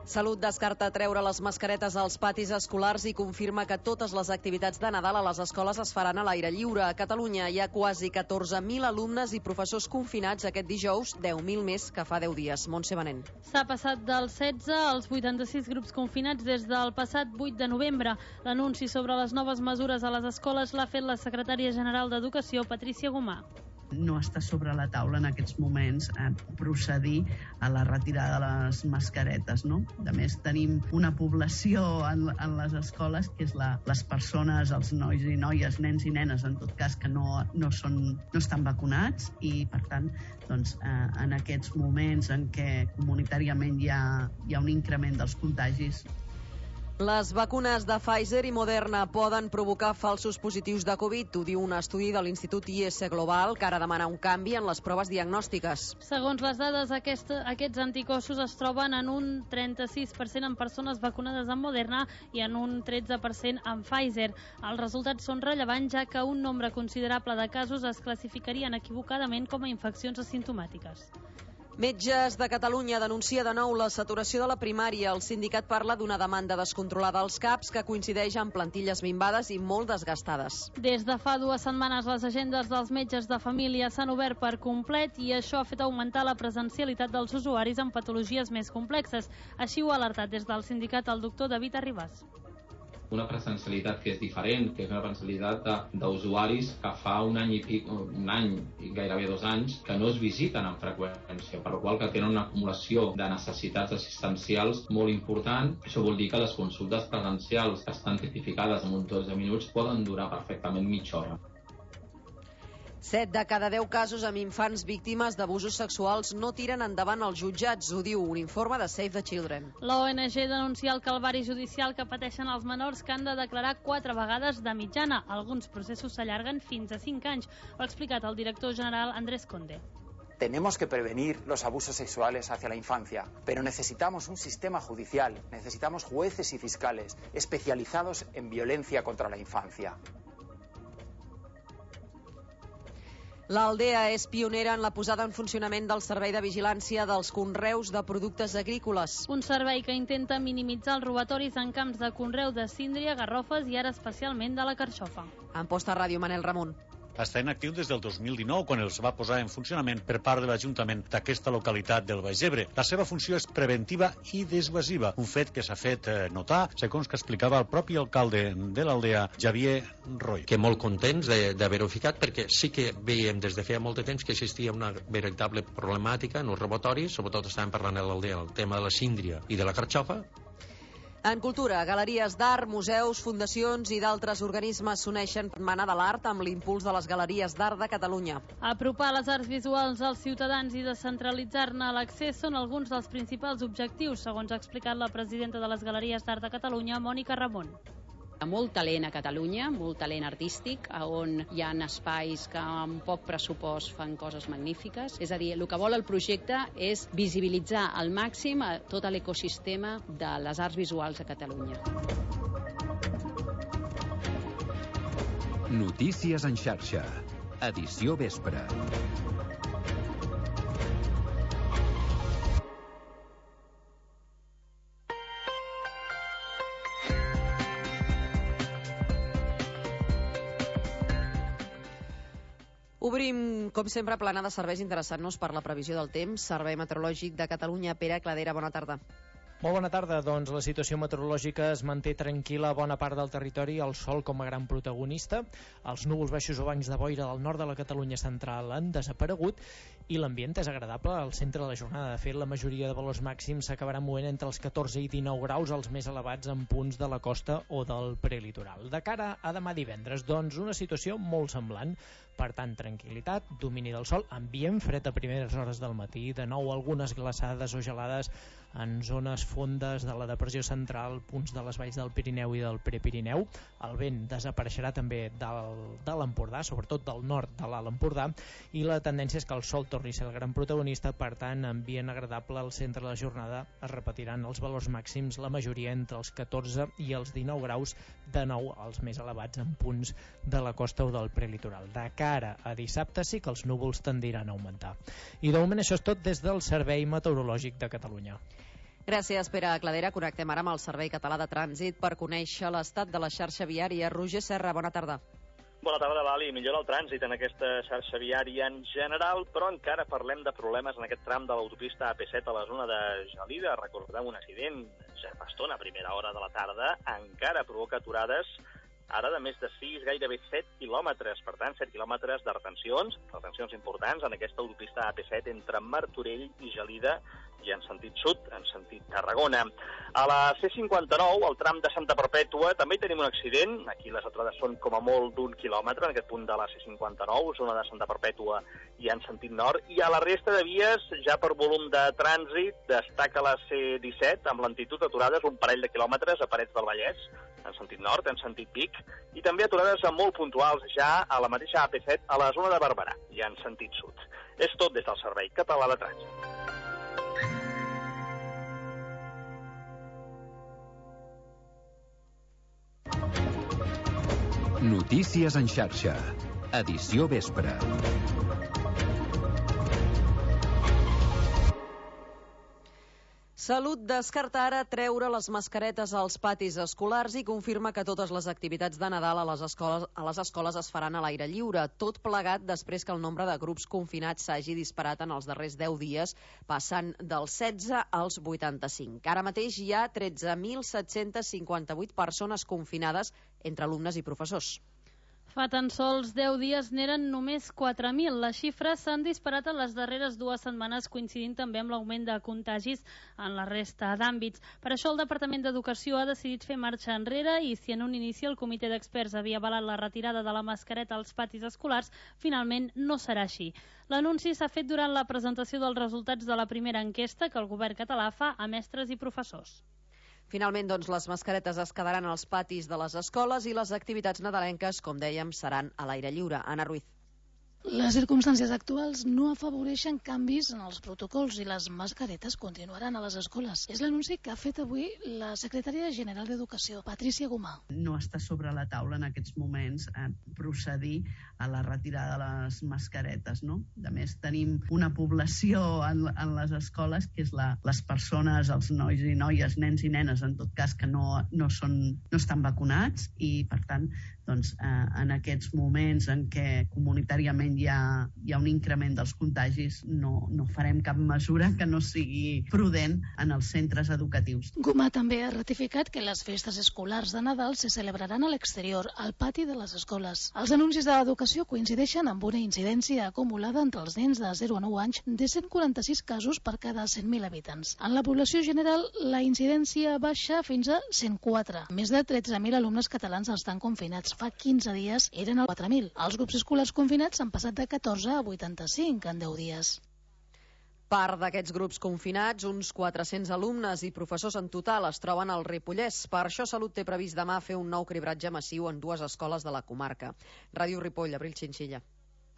Salut descarta treure les mascaretes als patis escolars i confirma que totes les activitats de Nadal a les escoles es faran a l'aire lliure. A Catalunya hi ha quasi 14.000 alumnes i professors confinats aquest dijous, 10.000 més que fa 10 dies. Montse Benent. S'ha passat dels 16 als 86 grups confinats des del passat 8 de novembre. L'anunci sobre les noves mesures a les escoles l'ha fet la secretària general d'Educació, Patrícia Gomà. No està sobre la taula en aquests moments procedir a la retirada de les mascaretes, no? A més, tenim una població en les escoles que és les persones, els nois i noies, nens i nenes, en tot cas, que no estan vacunats i, per tant, doncs, en aquests moments en què comunitàriament hi ha un increment dels contagis. Les vacunes de Pfizer i Moderna poden provocar falsos positius de Covid, ho diu un estudi de l'Institut IS Global, que ara demana un canvi en les proves diagnòstiques. Segons les dades, aquests anticossos es troben en un 36% en persones vacunades amb Moderna i en un 13% amb Pfizer. Els resultats són rellevants, ja que un nombre considerable de casos es classificarien equivocadament com a infeccions asimptomàtiques. Metges de Catalunya denuncia de nou la saturació de la primària. El sindicat parla d'una demanda descontrolada als CAPs que coincideix amb plantilles minvades i molt desgastades. Des de fa 2 setmanes les agendes dels metges de família s'han obert per complet i això ha fet augmentar la presencialitat dels usuaris amb patologies més complexes. Així ho ha alertat des del sindicat el doctor David Arribas. Una presencialitat que és diferent, que és una presencialitat d'usuaris que fa un any i gairebé 2 anys que no es visiten amb freqüència, per la qual que tenen una acumulació de necessitats assistencials molt important. Això vol dir que les consultes presencials que estan tipificades en uns 12 minuts poden durar perfectament mitja hora. 7 de cada 10 casos amb infants víctimes d'abusos sexuals no tiren endavant els jutjats, ho diu un informe de Save the Children. L'ONG denuncia el calvari judicial que pateixen els menors que han de declarar 4 vegades de mitjana. Alguns processos s'allarguen fins a 5 anys, ho ha explicat el director general Andrés Conde. Tenemos que prevenir los abusos sexuales hacia la infancia, pero necesitamos un sistema judicial, necesitamos jueces y fiscales especializados en violencia contra la infancia. L'Aldea és pionera en la posada en funcionament del servei de vigilància dels conreus de productes agrícoles. Un servei que intenta minimitzar els robatoris en camps de conreu de síndria, garrofes i ara especialment de la carxofa. Amposta Ràdio, Manel Ramon. Està inactiu des del 2019, quan els va posar en funcionament per part de l'Ajuntament d'aquesta localitat del Baix Ebre. La seva funció és preventiva i dissuasiva, un fet que s'ha fet notar, segons que explicava el propi alcalde de l'Aldea, Javier Roy. Que molt contents d'haver-ho ficat, perquè sí que veiem des de feia molt de temps que existia una veritable problemàtica en els robatoris, sobretot estàvem parlant a l'Aldea, el tema de la síndria i de la carxofa. En cultura, galeries d'art, museus, fundacions i d'altres organismes s'uneixen per Setmana de l'Art amb l'impuls de les galeries d'art de Catalunya. Apropar les arts visuals als ciutadans i descentralitzar-ne l'accés són alguns dels principals objectius, segons ha explicat la presidenta de les galeries d'art de Catalunya, Mònica Ramon. Hi ha molt talent a Catalunya, molt talent artístic, on hi ha espais que amb poc pressupost fan coses magnífiques. És a dir, el que vol el projecte és visibilitzar al màxim tot l'ecosistema de les arts visuals a Catalunya. Notícies en xarxa. Edició vespre. Obrim, com sempre, plana de serveis interessant-nos per la previsió del temps. Servei Meteorològic de Catalunya, Pere Cladera, bona tarda. Molt bona tarda. Doncs la situació meteorològica es manté tranquil·la a bona part del territori, el sol com a gran protagonista. Els núvols baixos o bancs de boira del nord de la Catalunya central han desaparegut i l'ambient és agradable al centre de la jornada. De fet, la majoria de valors màxims s'acabaran movent entre els 14 i 19 graus, els més elevats en punts de la costa o del prelitoral. De cara a demà divendres, doncs una situació molt semblant. Per tant, tranquil·litat, domini del sol, ambient fred a primeres hores del matí, de nou algunes glaçades o gelades en zones fondes de la depressió central, punts de les valls del Pirineu i del Prepirineu. El vent desapareixerà també de l'Empordà, sobretot del nord de l'Alt Empordà, i la tendència és que el sol torni a ser el gran protagonista. Per tant, ambient agradable al centre de la jornada. Es repetiran els valors màxims, la majoria entre els 14 i els 19 graus, de nou els més elevats en punts de la costa o del prelitoral. De cara a dissabte sí que els núvols tendiran a augmentar. I de moment això és tot des del Servei Meteorològic de Catalunya. Gràcies, Pere Cladera. Connectem ara amb el Servei Català de Trànsit per conèixer l'estat de la xarxa viària. Roger Serra, bona tarda. Bona tarda, Lali. Millora el trànsit en aquesta xarxa viària en general, però encara parlem de problemes en aquest tram de l'autopista AP7 a la zona de Gelida. Recordem un accident ja fa estona, a primera hora de la tarda, encara provoca aturades ara de més de 6, gairebé 7 quilòmetres. Per tant, 7 quilòmetres de retencions importants en aquesta autopista AP7 entre Martorell i Gelida i en sentit sud, en sentit Tarragona. A la C59, al tram de Santa Perpètua, també hi tenim un accident. Aquí les aturades són com a molt d'1 quilòmetre, en aquest punt de la C59, zona de Santa Perpètua i en sentit nord. I a la resta de vies, ja per volum de trànsit, destaca la C17, amb lentitud aturades un parell de quilòmetres a Parets del Vallès, en sentit nord, en sentit Vic, i també aturades molt puntuals ja a la mateixa AP7 a la zona de Barberà, i en sentit sud. És tot des del Servei Català de Trànsit. Notícies en xarxa. Edició vespre. Salut descarta ara treure les mascaretes als patis escolars i confirma que totes les activitats de Nadal a les escoles es faran a l'aire lliure. Tot plegat després que el nombre de grups confinats s'hagi disparat en els darrers 10 dies, passant dels 16 als 85. Ara mateix hi ha 13.758 persones confinades entre alumnes i professors. Fa tan sols 10 dies n'eren només 4.000. Les xifres s'han disparat en les darreres 2 setmanes, coincidint també amb l'augment de contagis en la resta d'àmbits. Per això el Departament d'Educació ha decidit fer marxa enrere i si en un inici el comitè d'experts havia avalat la retirada de la mascareta als patis escolars, finalment no serà així. L'anunci s'ha fet durant la presentació dels resultats de la primera enquesta que el govern català fa a mestres i professors. Finalment, doncs, les mascaretes es quedaran als patis de les escoles i les activitats nadalenques, com dèiem, seran a l'aire lliure. Anna Ruiz. Les circumstàncies actuals no afavoreixen canvis en els protocols i les mascaretes continuaran a les escoles. És l'anunci que ha fet avui la secretària general d'Educació, Patrícia Gomà. No està sobre la taula en aquests moments procedir a la retirada de les mascaretes, no? A més, tenim una població en les escoles que és les persones, els nois i noies, nens i nenes, en tot cas, que no estan vacunats i, per tant, doncs, en aquests moments en què comunitàriament hi ha un increment dels contagis, no farem cap mesura que no sigui prudent en els centres educatius. Gomà també ha ratificat que les festes escolars de Nadal se celebraran a l'exterior, al pati de les escoles. Els anuncis de l'educació coincideixen amb una incidència acumulada entre els nens de 0 a 9 anys de 146 casos per cada 100.000 habitants. En la població general, la incidència baixa fins a 104. Més de 13.000 alumnes catalans estan confinats. Fa 15 dies eren 4.000. Els grups escolars confinats han passat de 14 a 85 en 10 dies. Part d'aquests grups confinats, uns 400 alumnes i professors en total, es troben al Ripollès. Per això Salut té previst demà fer un nou cribratge massiu en 2 escoles de la comarca. Ràdio Ripoll, Abril Xinxilla.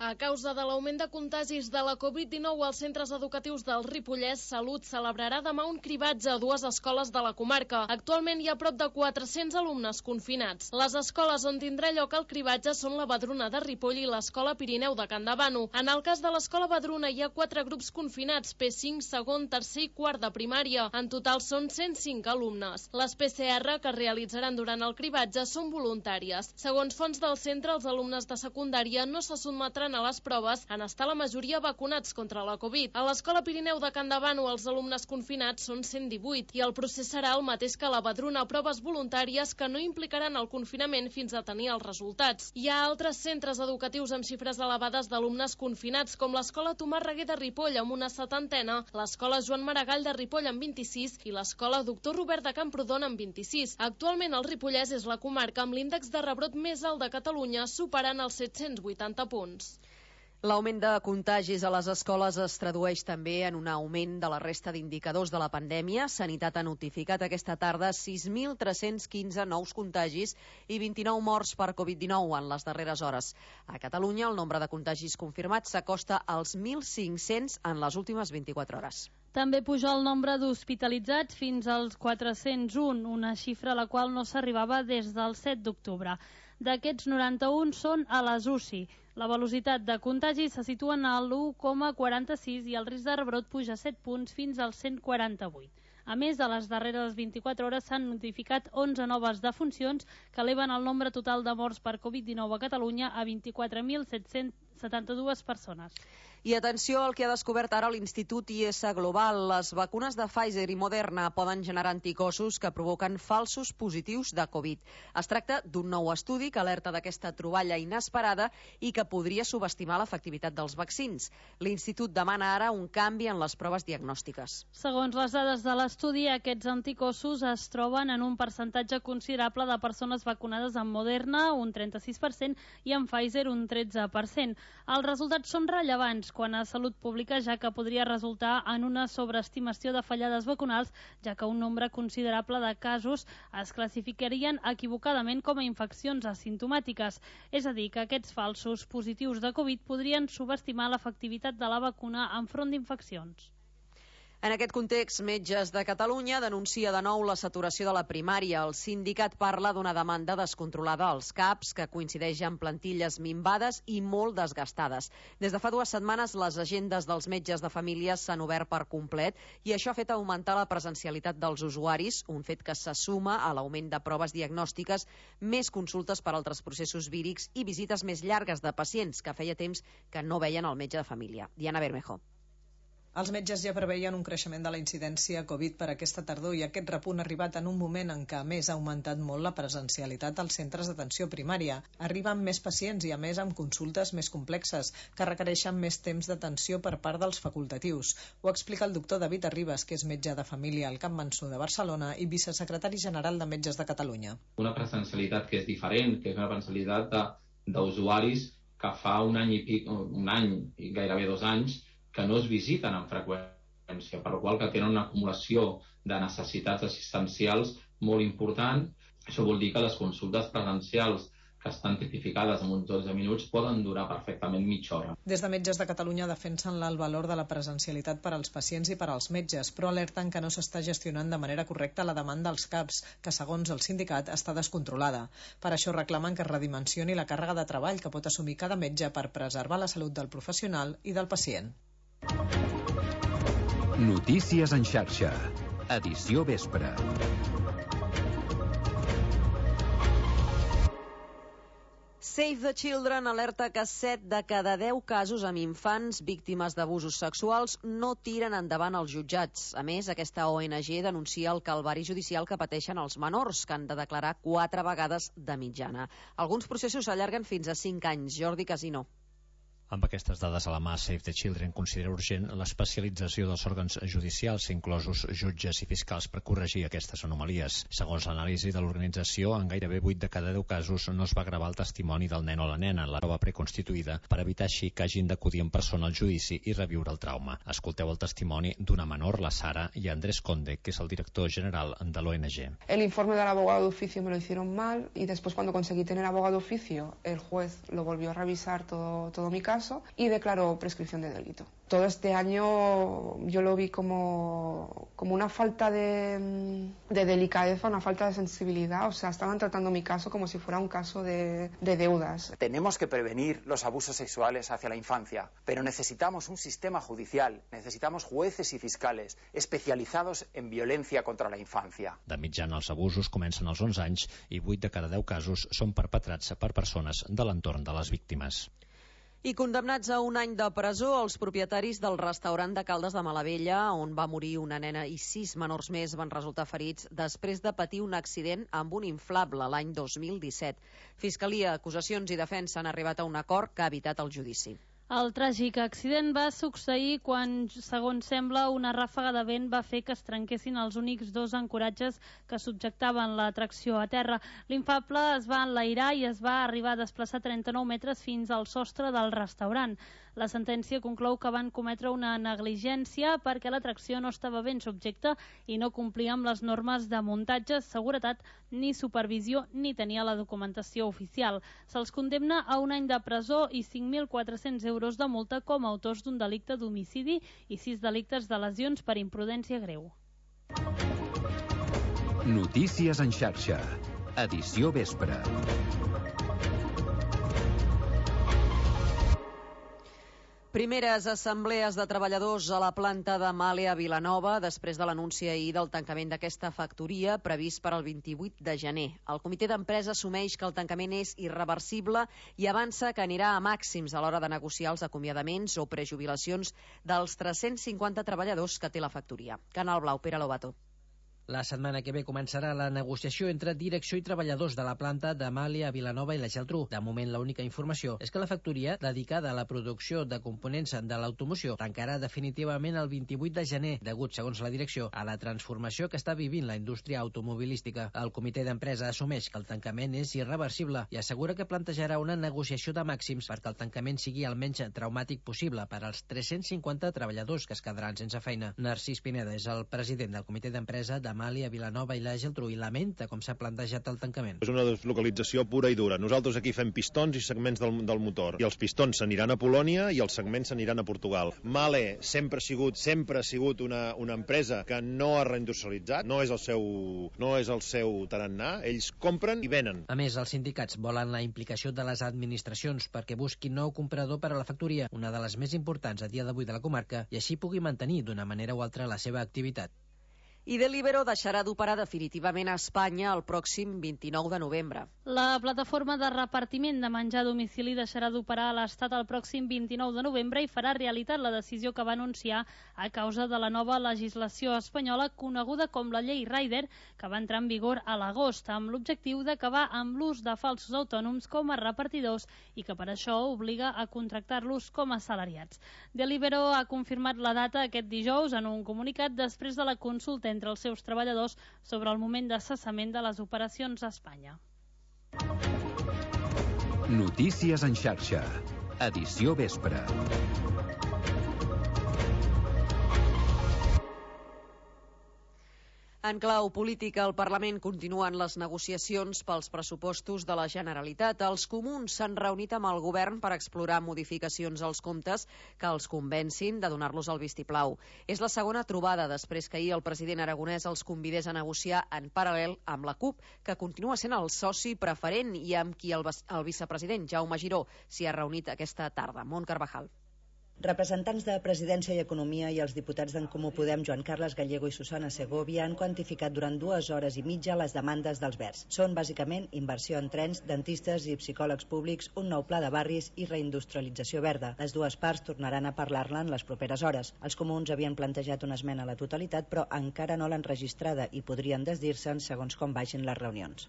A causa de l'augment de contagis de la Covid-19 als centres educatius del Ripollès, Salut celebrarà demà un cribatge a 2 escoles de la comarca. Actualment hi ha prop de 400 alumnes confinats. Les escoles on tindrà lloc el cribatge són la Badruna de Ripoll i l'Escola Pirineu de Campdevànol. En el cas de l'Escola Badruna hi ha 4 grups confinats, P5, segon, tercer i quart de primària. En total són 105 alumnes. Les PCR que es realitzaran durant el cribatge són voluntàries. Segons fonts del centre, els alumnes de secundària no se sotmetran passaran a les proves en estar la majoria vacunats contra la Covid. A l'Escola Pirineu de Can Davano els alumnes confinats són 118 i el procés serà el mateix que la Badruna, proves voluntàries que no implicaran el confinament fins a tenir els resultats. Hi ha altres centres educatius amb xifres elevades d'alumnes confinats, com l'Escola Tomàs Reguer de Ripoll amb una 70, l'Escola Joan Maragall de Ripoll amb 26 i l'Escola Doctor Robert de Camprodon amb 26. Actualment el Ripollès és la comarca amb l'índex de rebrot més alt de Catalunya, superant els 780 punts. L'augment de contagis a les escoles es tradueix també en un augment de la resta d'indicadors de la pandèmia. Sanitat ha notificat aquesta tarda 6.315 nous contagis i 29 morts per Covid-19 en les darreres hores. A Catalunya, el nombre de contagis confirmats s'acosta als 1.500 en les últimes 24 hores. També puja el nombre d'hospitalitzats fins als 401, una xifra a la qual no s'arribava des del 7 d'octubre. D'aquests, 91 són a les UCI. La velocitat de contagi se situa en l'1,46 i el risc de rebrot puja 7 punts fins al 148. A més, a les darreres 24 hores s'han notificat 11 noves defuncions que eleven el nombre total de morts per Covid-19 a Catalunya a 24.772 persones. I atenció al que ha descobert ara l'Institut IS Global. Les vacunes de Pfizer i Moderna poden generar anticossos que provoquen falsos positius de Covid. Es tracta d'un nou estudi que alerta d'aquesta troballa inesperada i que podria subestimar l'efectivitat dels vaccins. L'Institut demana ara un canvi en les proves diagnòstiques. Segons les dades de l'estudi, aquests anticossos es troben en un percentatge considerable de persones vacunades amb Moderna, un 36%, i amb Pfizer, un 13%. Els resultats són rellevants quan a Salut Pública, ja que podria resultar en una sobreestimació de fallades vacunals, ja que un nombre considerable de casos es classificarien equivocadament com a infeccions asimptomàtiques. És a dir, que aquests falsos positius de Covid podrien subestimar l'efectivitat de la vacuna enfront d'infeccions. En aquest context, Metges de Catalunya denuncia de nou la saturació de la primària. El sindicat parla d'una demanda descontrolada als CAPs, que coincideix amb plantilles minvades i molt desgastades. Des de fa 2 setmanes, les agendes dels metges de família s'han obert per complet i això ha fet augmentar la presencialitat dels usuaris, un fet que se suma a l'augment de proves diagnòstiques, més consultes per altres processos vírics i visites més llargues de pacients que feia temps que no veien el metge de família. Diana Bermejo. Els metges ja preveien un creixement de la incidència Covid per aquesta tardor i aquest repunt ha arribat en un moment en què, a més, ha augmentat molt la presencialitat als centres d'atenció primària. Arriben més pacients i, a més, amb consultes més complexes, que requereixen més temps d'atenció per part dels facultatius. Ho explica el doctor David Arribas, que és metge de família al Camp Mansur de Barcelona i vicesecretari general de Metges de Catalunya. Una presencialitat que és diferent, que és una presencialitat d'usuaris que fa un any i gairebé 2 anys, que no es visiten amb freqüència, per la qual que tenen una acumulació de necessitats assistencials molt important. Això vol dir que les consultes presencials que estan tipificades en uns 12 minuts poden durar perfectament mitja hora. Des de Metges de Catalunya defensen el valor de la presencialitat per als pacients i per als metges, però alerten que no s'està gestionant de manera correcta la demanda als CAPs, que segons el sindicat està descontrolada. Per això reclamen que es redimensioni la càrrega de treball que pot assumir cada metge per preservar la salut del professional i del pacient. Notícies en xarxa. Edició vespre. Save the Children alerta que 7 de cada 10 casos amb infants víctimes d'abusos sexuals no tiren endavant els jutjats. A més, aquesta ONG denuncia el calvari judicial que pateixen els menors, que han de declarar 4 vegades de mitjana. Alguns processos s'allarguen fins a 5 anys. Jordi Casino. Amb aquestes dades a la mà, Save the Children considera urgent l'especialització dels òrgans judicials, inclosos jutges i fiscals, per corregir aquestes anomalies. Segons l'anàlisi de l'organització, en gairebé 8 de cada 10 casos no es va gravar el testimoni del nen o la nena en la prova preconstituïda, per evitar així que hagin d'acudir en persona al judici i reviure el trauma. Escolteu el testimoni d'una menor, la Sara, i Andrés Conde, que és el director general de l'ONG. El informe del abogado de oficio me lo hicieron mal y después, cuando conseguí tener abogado de oficio, el juez lo volvió a revisar todo mi caso y declaró prescripción de delito. Todo este año yo lo vi como una falta de delicadeza, una falta de sensibilidad. O sea, estaban tratando mi caso como si fuera un caso de deudas. Tenemos que prevenir los abusos sexuales hacia la infancia, pero necesitamos un sistema judicial, necesitamos jueces y fiscales especializados en violencia contra la infancia. De mitjana, els abusos comencen als 11 anys i 8 de cada 10 casos són perpetrats per persones de l'entorn de les víctimes. I condemnats a un any de presó els propietaris del restaurant de Caldes de Malavella, on va morir una nena i 6 menors més van resultar ferits després de patir un accident amb un inflable l'any 2017. Fiscalia, acusacions i defensa han arribat a un acord que ha evitat el judici. El tràgic accident va succeir quan, segons sembla, una ràfaga de vent va fer que es trenquessin els únics 2 ancoratges que subjectaven la tracció a terra. L'inflable es va enlairar i es va arribar a desplaçar 39 metres fins al sostre del restaurant. La sentència conclou que van cometre una negligència perquè la tracció no estava ben subjecta i no complia amb les normes de muntatge, seguretat ni supervisió ni tenia la documentació oficial. Se'ls condemna a un any de presó i 5.400 euros de multa com a autors d'un delicte d'homicidi i 6 delictes de lesions per imprudència greu. Notícies en xarxa. Edició vespre. Primeres assemblees de treballadors a la planta de Mahle a Vilanova després de l'anunci ahir del tancament d'aquesta factoria previst per al 28 de gener. El comitè d'empresa assumeix que el tancament és irreversible i avança que anirà a màxims a l'hora de negociar els acomiadaments o prejubilacions dels 350 treballadors que té la factoria. Canal Blau, Pere Lobato. La setmana que ve començarà la negociació entre direcció i treballadors de la planta de Mahle a Vilanova i la Geltrú. De moment, l'única informació és que la factoria, dedicada a la producció de components de l'automoció, tancarà definitivament el 28 de gener, degut, segons la direcció, a la transformació que està vivint la indústria automobilística. El comitè d'empresa assumeix que el tancament és irreversible i assegura que plantejarà una negociació de màxims perquè el tancament sigui el menys traumàtic possible per als 350 treballadors que es quedaran sense feina. Narcís Pineda és el president del comitè d'empresa de Mahle a Vilanova i la Geltrú i lamenta com s'ha plantejat el tancament. És una deslocalització pura i dura. Nosaltres aquí fem pistons i segments del motor. I els pistons s'aniran a Polònia i els segments s'aniran a Portugal. Mahle sempre ha sigut una empresa que no ha reindustrialitzat, no és el seu tarannà. Ells compren i venen. A més, els sindicats volen la implicació de les administracions perquè busquin nou comprador per a la factoria, una de les més importants a dia d'avui de la comarca, i així pugui mantenir d'una manera o altra la seva activitat. I Deliveroo deixarà d'operar definitivament a Espanya el pròxim 29 de novembre. La plataforma de repartiment de menjar a domicili deixarà d'operar a l'Estat el pròxim 29 de novembre i farà realitat la decisió que va anunciar a causa de la nova legislació espanyola coneguda com la llei Rider, que va entrar en vigor a l'agost, amb l'objectiu d'acabar amb l'ús de falsos autònoms com a repartidors i que per això obliga a contractar-los com a assalariats. Deliveroo ha confirmat la data aquest dijous en un comunicat després de la consulta entre els seus treballadors sobre el moment de cessament de les operacions a Espanya. Notícies en xarxa. Edició vespre. En clau política, al Parlament continuen les negociacions pels pressupostos de la Generalitat. Els comuns s'han reunit amb el govern per explorar modificacions als comptes que els convencin de donar-los el vistiplau. És la segona trobada després que ahir el president aragonès els convidés a negociar en paral·lel amb la CUP, que continua sent el soci preferent i amb qui el vicepresident Jaume Giró s'hi ha reunit aquesta tarda. Mont Carvajal. Representants de Presidència i Economia i els diputats d'en Comú Podem, Joan Carles Gallego i Susana Segovia, han quantificat durant 2 hores i mitja les demandes dels Verds. Són bàsicament inversió en trens, dentistes i psicòlegs públics, un nou pla de barris i reindustrialització verda. Les dues parts tornaran a parlar-ne en les properes hores. Els comuns havien plantejat una esmena a la totalitat, però encara no l'han registrada i podrien desdir-se'n segons com vagin les reunions.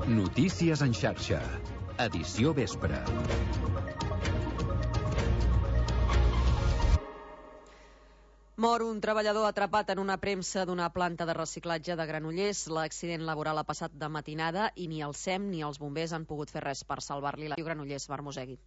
Notícies en xarxa. Edició vespre. Mor un treballador atrapat en una premsa d'una planta de reciclatge de Granollers. L'accident laboral ha passat de matinada i ni el SEM ni els bombers han pogut fer res per salvar-li la vida. Granollers, Barmosegui.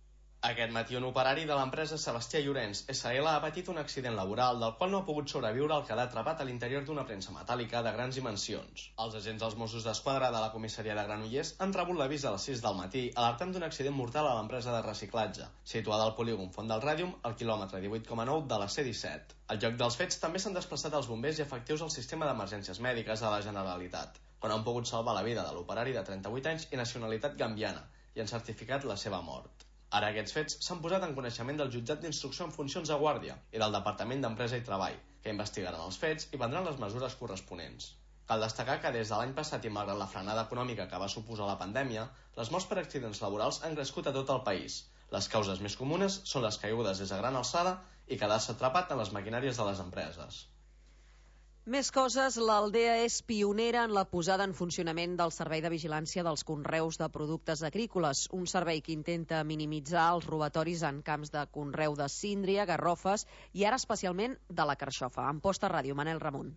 Aquest matí un operari de l'empresa Sebastià Llorenç SL ha patit un accident laboral del qual no ha pogut sobreviure al quedar atrapat a l'interior d'una premsa metàl·lica de grans dimensions. Els agents dels Mossos d'Esquadra de la comissaria de Granollers han rebut l'avís a les 6 del matí alertant d'un accident mortal a l'empresa de reciclatge, situada al polígon Font del Ràdium, al quilòmetre 18,9 de la C-17. Al lloc dels fets també s'han desplaçat els bombers i efectius al sistema d'emergències mèdiques de la Generalitat, on han pogut salvar la vida de l'operari de 38 anys i nacionalitat gambiana i han certificat la seva mort. Ara aquests fets s'han posat en coneixement del jutjat d'instrucció en funcions de guàrdia i del Departament d'Empresa i Treball, que investigaran els fets i prendran les mesures corresponents. Cal destacar que des de l'any passat i malgrat la frenada econòmica que va suposar la pandèmia, les morts per accidents laborals han crescut a tot el país. Les causes més comunes són les caigudes des de gran alçada i quedar-se atrapat en les maquinàries de les empreses. Més coses, l'Aldea és pionera en la posada en funcionament del Servei de Vigilància dels Conreus de Productes Agrícoles, un servei que intenta minimitzar els robatoris en camps de conreu de síndria, garrofes i ara especialment de la carxofa. En Posta Ràdio, Manel Ramon.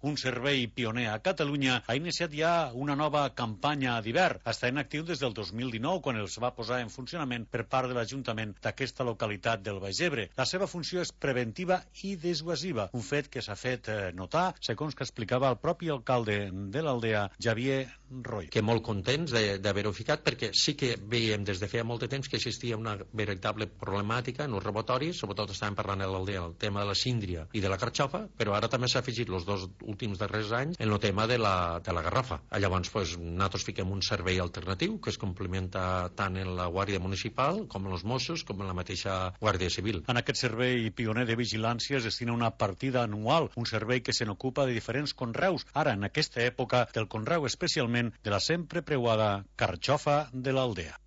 Un servei pioner a Catalunya ha iniciat ja una nova campanya d'hivern. Està en actiu des del 2019, quan els va posar en funcionament per part de l'Ajuntament d'aquesta localitat del Baix Ebre. La seva funció és preventiva i dissuasiva, un fet que s'ha fet notar, segons que explicava el propi alcalde de l'Aldea, Javier Roy. Que molt contents d'haver-ho ficat, perquè sí que veiem des de feia molt de temps que existia una veritable problemàtica en els robatoris, sobretot estàvem parlant a l'Aldea, el tema de la síndria i de la carxofa, però ara també s'ha afegit els dos últims darrers anys en el tema de la garrafa. Llavors, nosaltres fiquem un servei alternatiu que es complementa tant en la Guàrdia Municipal com en els Mossos com en la mateixa Guàrdia Civil. En aquest servei pioner de vigilància es destina una partida anual, un servei que se n'ocupa de diferents conreus, ara en aquesta època del conreu especialment de la sempre preuada carxofa de l'Aldea.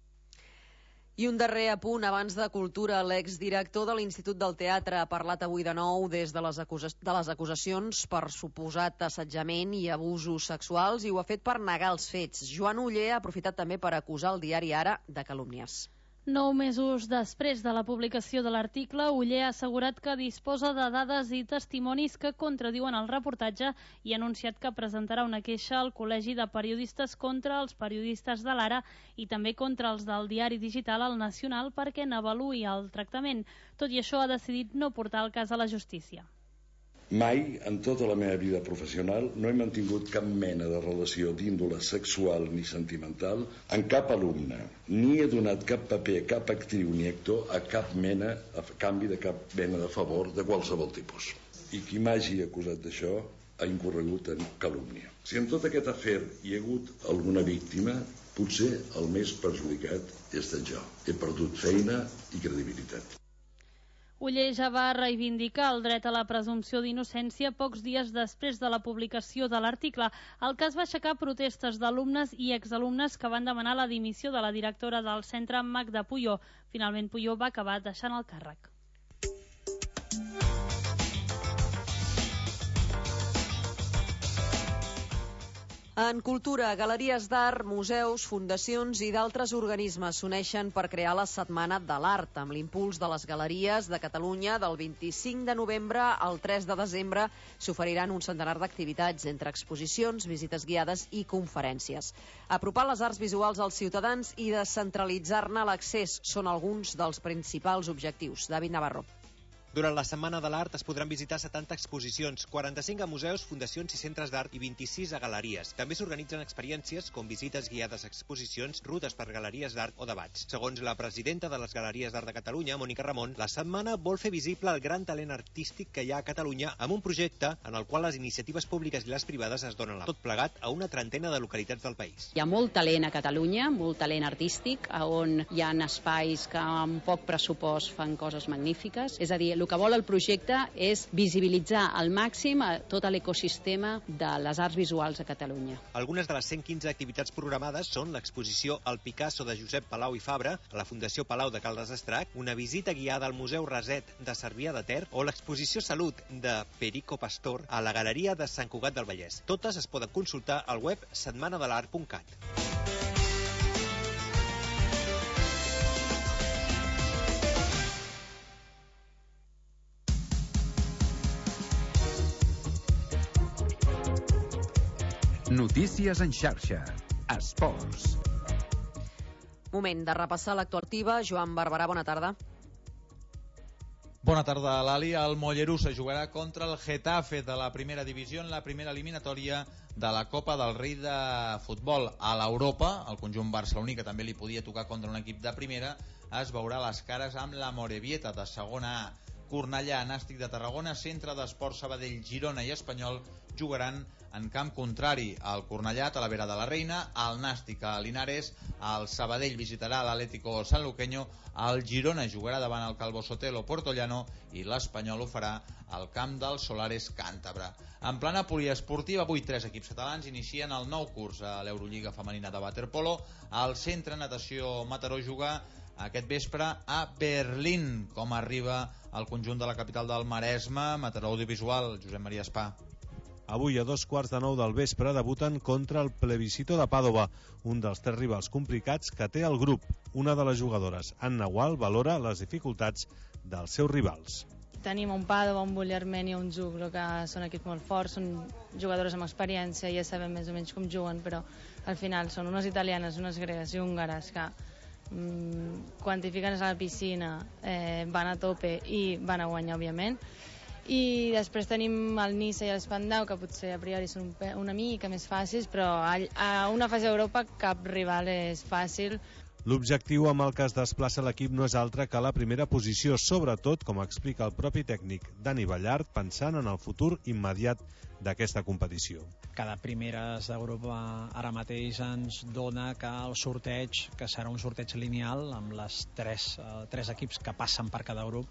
I un darrer apunt abans de cultura. L'exdirector de l'Institut del Teatre ha parlat avui de nou des de les acusacions per suposat assetjament i abusos sexuals i ho ha fet per negar els fets. Joan Oller ha aprofitat també per acusar el diari Ara de calúmnies. 9 mesos després de la publicació de l'article, Oller ha assegurat que disposa de dades i testimonis que contradiuen el reportatge i ha anunciat que presentarà una queixa al Col·legi de Periodistes contra els periodistes de l'Ara i també contra els del diari digital El Nacional perquè n'avaluï el tractament. Tot i això, ha decidit no portar el cas a la justícia. Mai, en tota la meva vida professional, no he mantingut cap mena de relació d'índole sexual ni sentimental amb cap alumne, ni he donat cap paper a cap actriu ni actor a canvi de cap mena de favor de qualsevol tipus. I qui m'hagi acusat d'això ha incorregut en calúmnia. Si en tot aquest afer hi ha hagut alguna víctima, potser el més perjudicat he estat jo. He perdut feina i credibilitat. Oller ja va reivindicar el dret a la presumpció d'innocència pocs dies després de la publicació de l'article. El cas va aixecar protestes d'alumnes i exalumnes que van demanar la dimissió de la directora del centre, Magda Puyó. Finalment, Puyó va acabar deixant el càrrec. En cultura, galeries d'art, museus, fundacions i d'altres organismes s'uneixen per crear la Setmana de l'Art, amb l'impuls de les Galeries de Catalunya. Del 25 de novembre al 3 de desembre s'oferiran un centenar d'activitats, entre exposicions, visites guiades i conferències. Apropar les arts visuals als ciutadans i descentralitzar-ne l'accés són alguns dels principals objectius. David Navarro. Durant la Setmana de l'Art es podran visitar 70 exposicions, 45 a museus, fundacions i centres d'art i 26 a galeries. També s'organitzen experiències com visites guiades a exposicions, rutes per galeries d'art o debats. Segons la presidenta de les Galeries d'Art de Catalunya, Mònica Ramon, la setmana vol fer visible el gran talent artístic que hi ha a Catalunya amb un projecte en el qual les iniciatives públiques i les privades es donen tot plegat a una trentena de localitats del país. Hi ha molt talent a Catalunya, molt talent artístic, on hi ha espais que amb poc pressupost fan coses magnífiques. És a dir, el que vol el projecte és visibilitzar al màxim tot l'ecosistema de les arts visuals a Catalunya. Algunes de les 115 activitats programades són l'exposició El Picasso de Josep Palau i Fabra a la Fundació Palau de Caldes d'Estrac, una visita guiada al Museu Raset de Cervià de Ter o l'exposició Salut de Perico Pastor a la Galeria de Sant Cugat del Vallès. Totes es poden consultar al web setmanadelart.cat. Notícies en xarxa. Esports. Moment de repassar l'actuativa. Joan Barberà, bona tarda. Bona tarda, Lali. El Mollerussa jugarà contra el Getafe de la primera divisió en la primera eliminatòria de la Copa del Rei de futbol. A l'Europa, el conjunt barceloní, que també li podia tocar contra un equip de primera, es veurà les cares amb la Morevieta de segona A. Cornellà, Nàstic de Tarragona, Centre d'Esports Sabadell, Girona i Espanyol jugaran en camp contrari. El Cornellà, Talavera de la Reina, el Nàstic a Linares, el Sabadell visitarà l'Atlético Sanluqueño, el Girona jugarà davant el Calvo Sotelo Portollano i l'Espanyol ho farà al camp del Solares Càntabra. En plana poliesportiva, avui 3 equips catalans inicien el nou curs a l'Eurolliga femenina de waterpolo. El Centre Natació Mataró juga aquest vespre a Berlín. Com arriba el conjunt de la capital del Maresme? Mataró Audiovisual, Josep Maria Espà. Avui a 2:15 del vespre debuten contra el Plebiscito de Pàdova, un dels 3 rivals complicats que té el grup. Una de les jugadores, Anna Gual, valora les dificultats dels seus rivals. Tenim un Pàdova, un Bulli-Armènia, un Zuglo, que són equips molt forts, són jugadores amb experiència, ja sabem més o menys com juguen, però al final són unes italianes, unes gregues i húngares que quan t'hi fiques a la piscina van a tope i van a guanyar, òbviament. I després tenim el Niça i l'Espandau, que potser a priori són una mica més fàcils, però a una fase d'Europa cap rival és fàcil. L'objectiu amb el que es desplaça l'equip no és altre que la primera posició, sobretot, com explica el propi tècnic Dani Ballart, pensant en el futur immediat d'aquesta competició. Cada primeres d'Europa ara mateix ens dona que el sorteig, que serà un sorteig lineal amb les tres equips que passen per cada grup,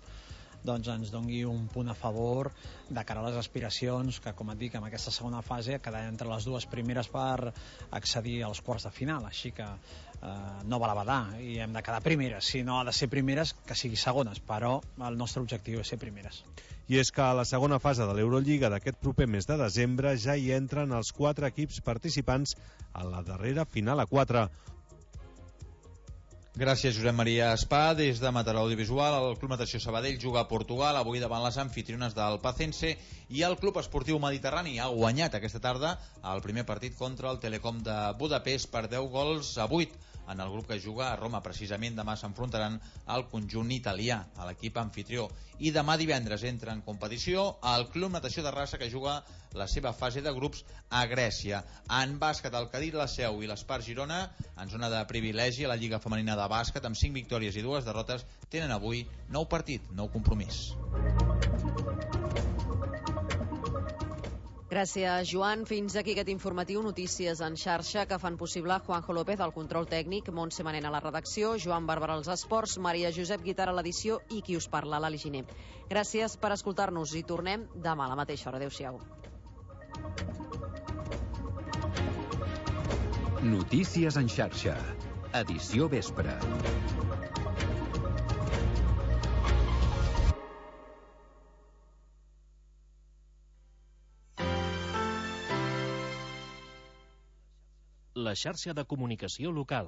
doncs ens doni un punt a favor de cara a les aspiracions que, com et dic, en aquesta segona fase quedar entre les dues primeres per accedir als quarts de final, així que no val a badar i hem de quedar primeres. Si no ha de ser primeres, que sigui segones, però el nostre objectiu és ser primeres. I és que a la segona fase de l'Eurolliga d'aquest proper mes de desembre ja hi entren els 4 equips participants a la darrera final a 4. Gràcies, Josep Maria Espà. Des de Mataró Audiovisual, el Club Natació Sabadell juga a Portugal, avui davant les anfitriones del Pacense, i el Club Esportiu Mediterrani ha guanyat aquesta tarda el primer partit contra el Telecom de Budapest per 10-8 en el grup que juga a Roma. Precisament demà s'enfrontaran al conjunt italià, a l'equip anfitrió. I demà divendres entra en competició el Club Natació de Rassa, que juga la seva fase de grups a Grècia. En bàsquet, el Cadí, la Seu i l'Espar Girona, en zona de privilegi a la Lliga Femenina de Bàsquet, amb 5 victòries i 2 derrotes, tenen avui nou partit, nou compromís. Gràcies, Joan. Fins aquí aquest informatiu. Notícies en xarxa que fan possible Juanjo López al control tècnic, Montse Manent a la redacció, Joan Bàrbara als esports, Maria Josep Guitar a l'edició i qui us parla, l'Ali Giner. Gràcies per escoltar-nos i tornem demà a la mateixa hora. Adéu-siau. Notícies en xarxa. Edició vespre. La xarxa de comunicació local.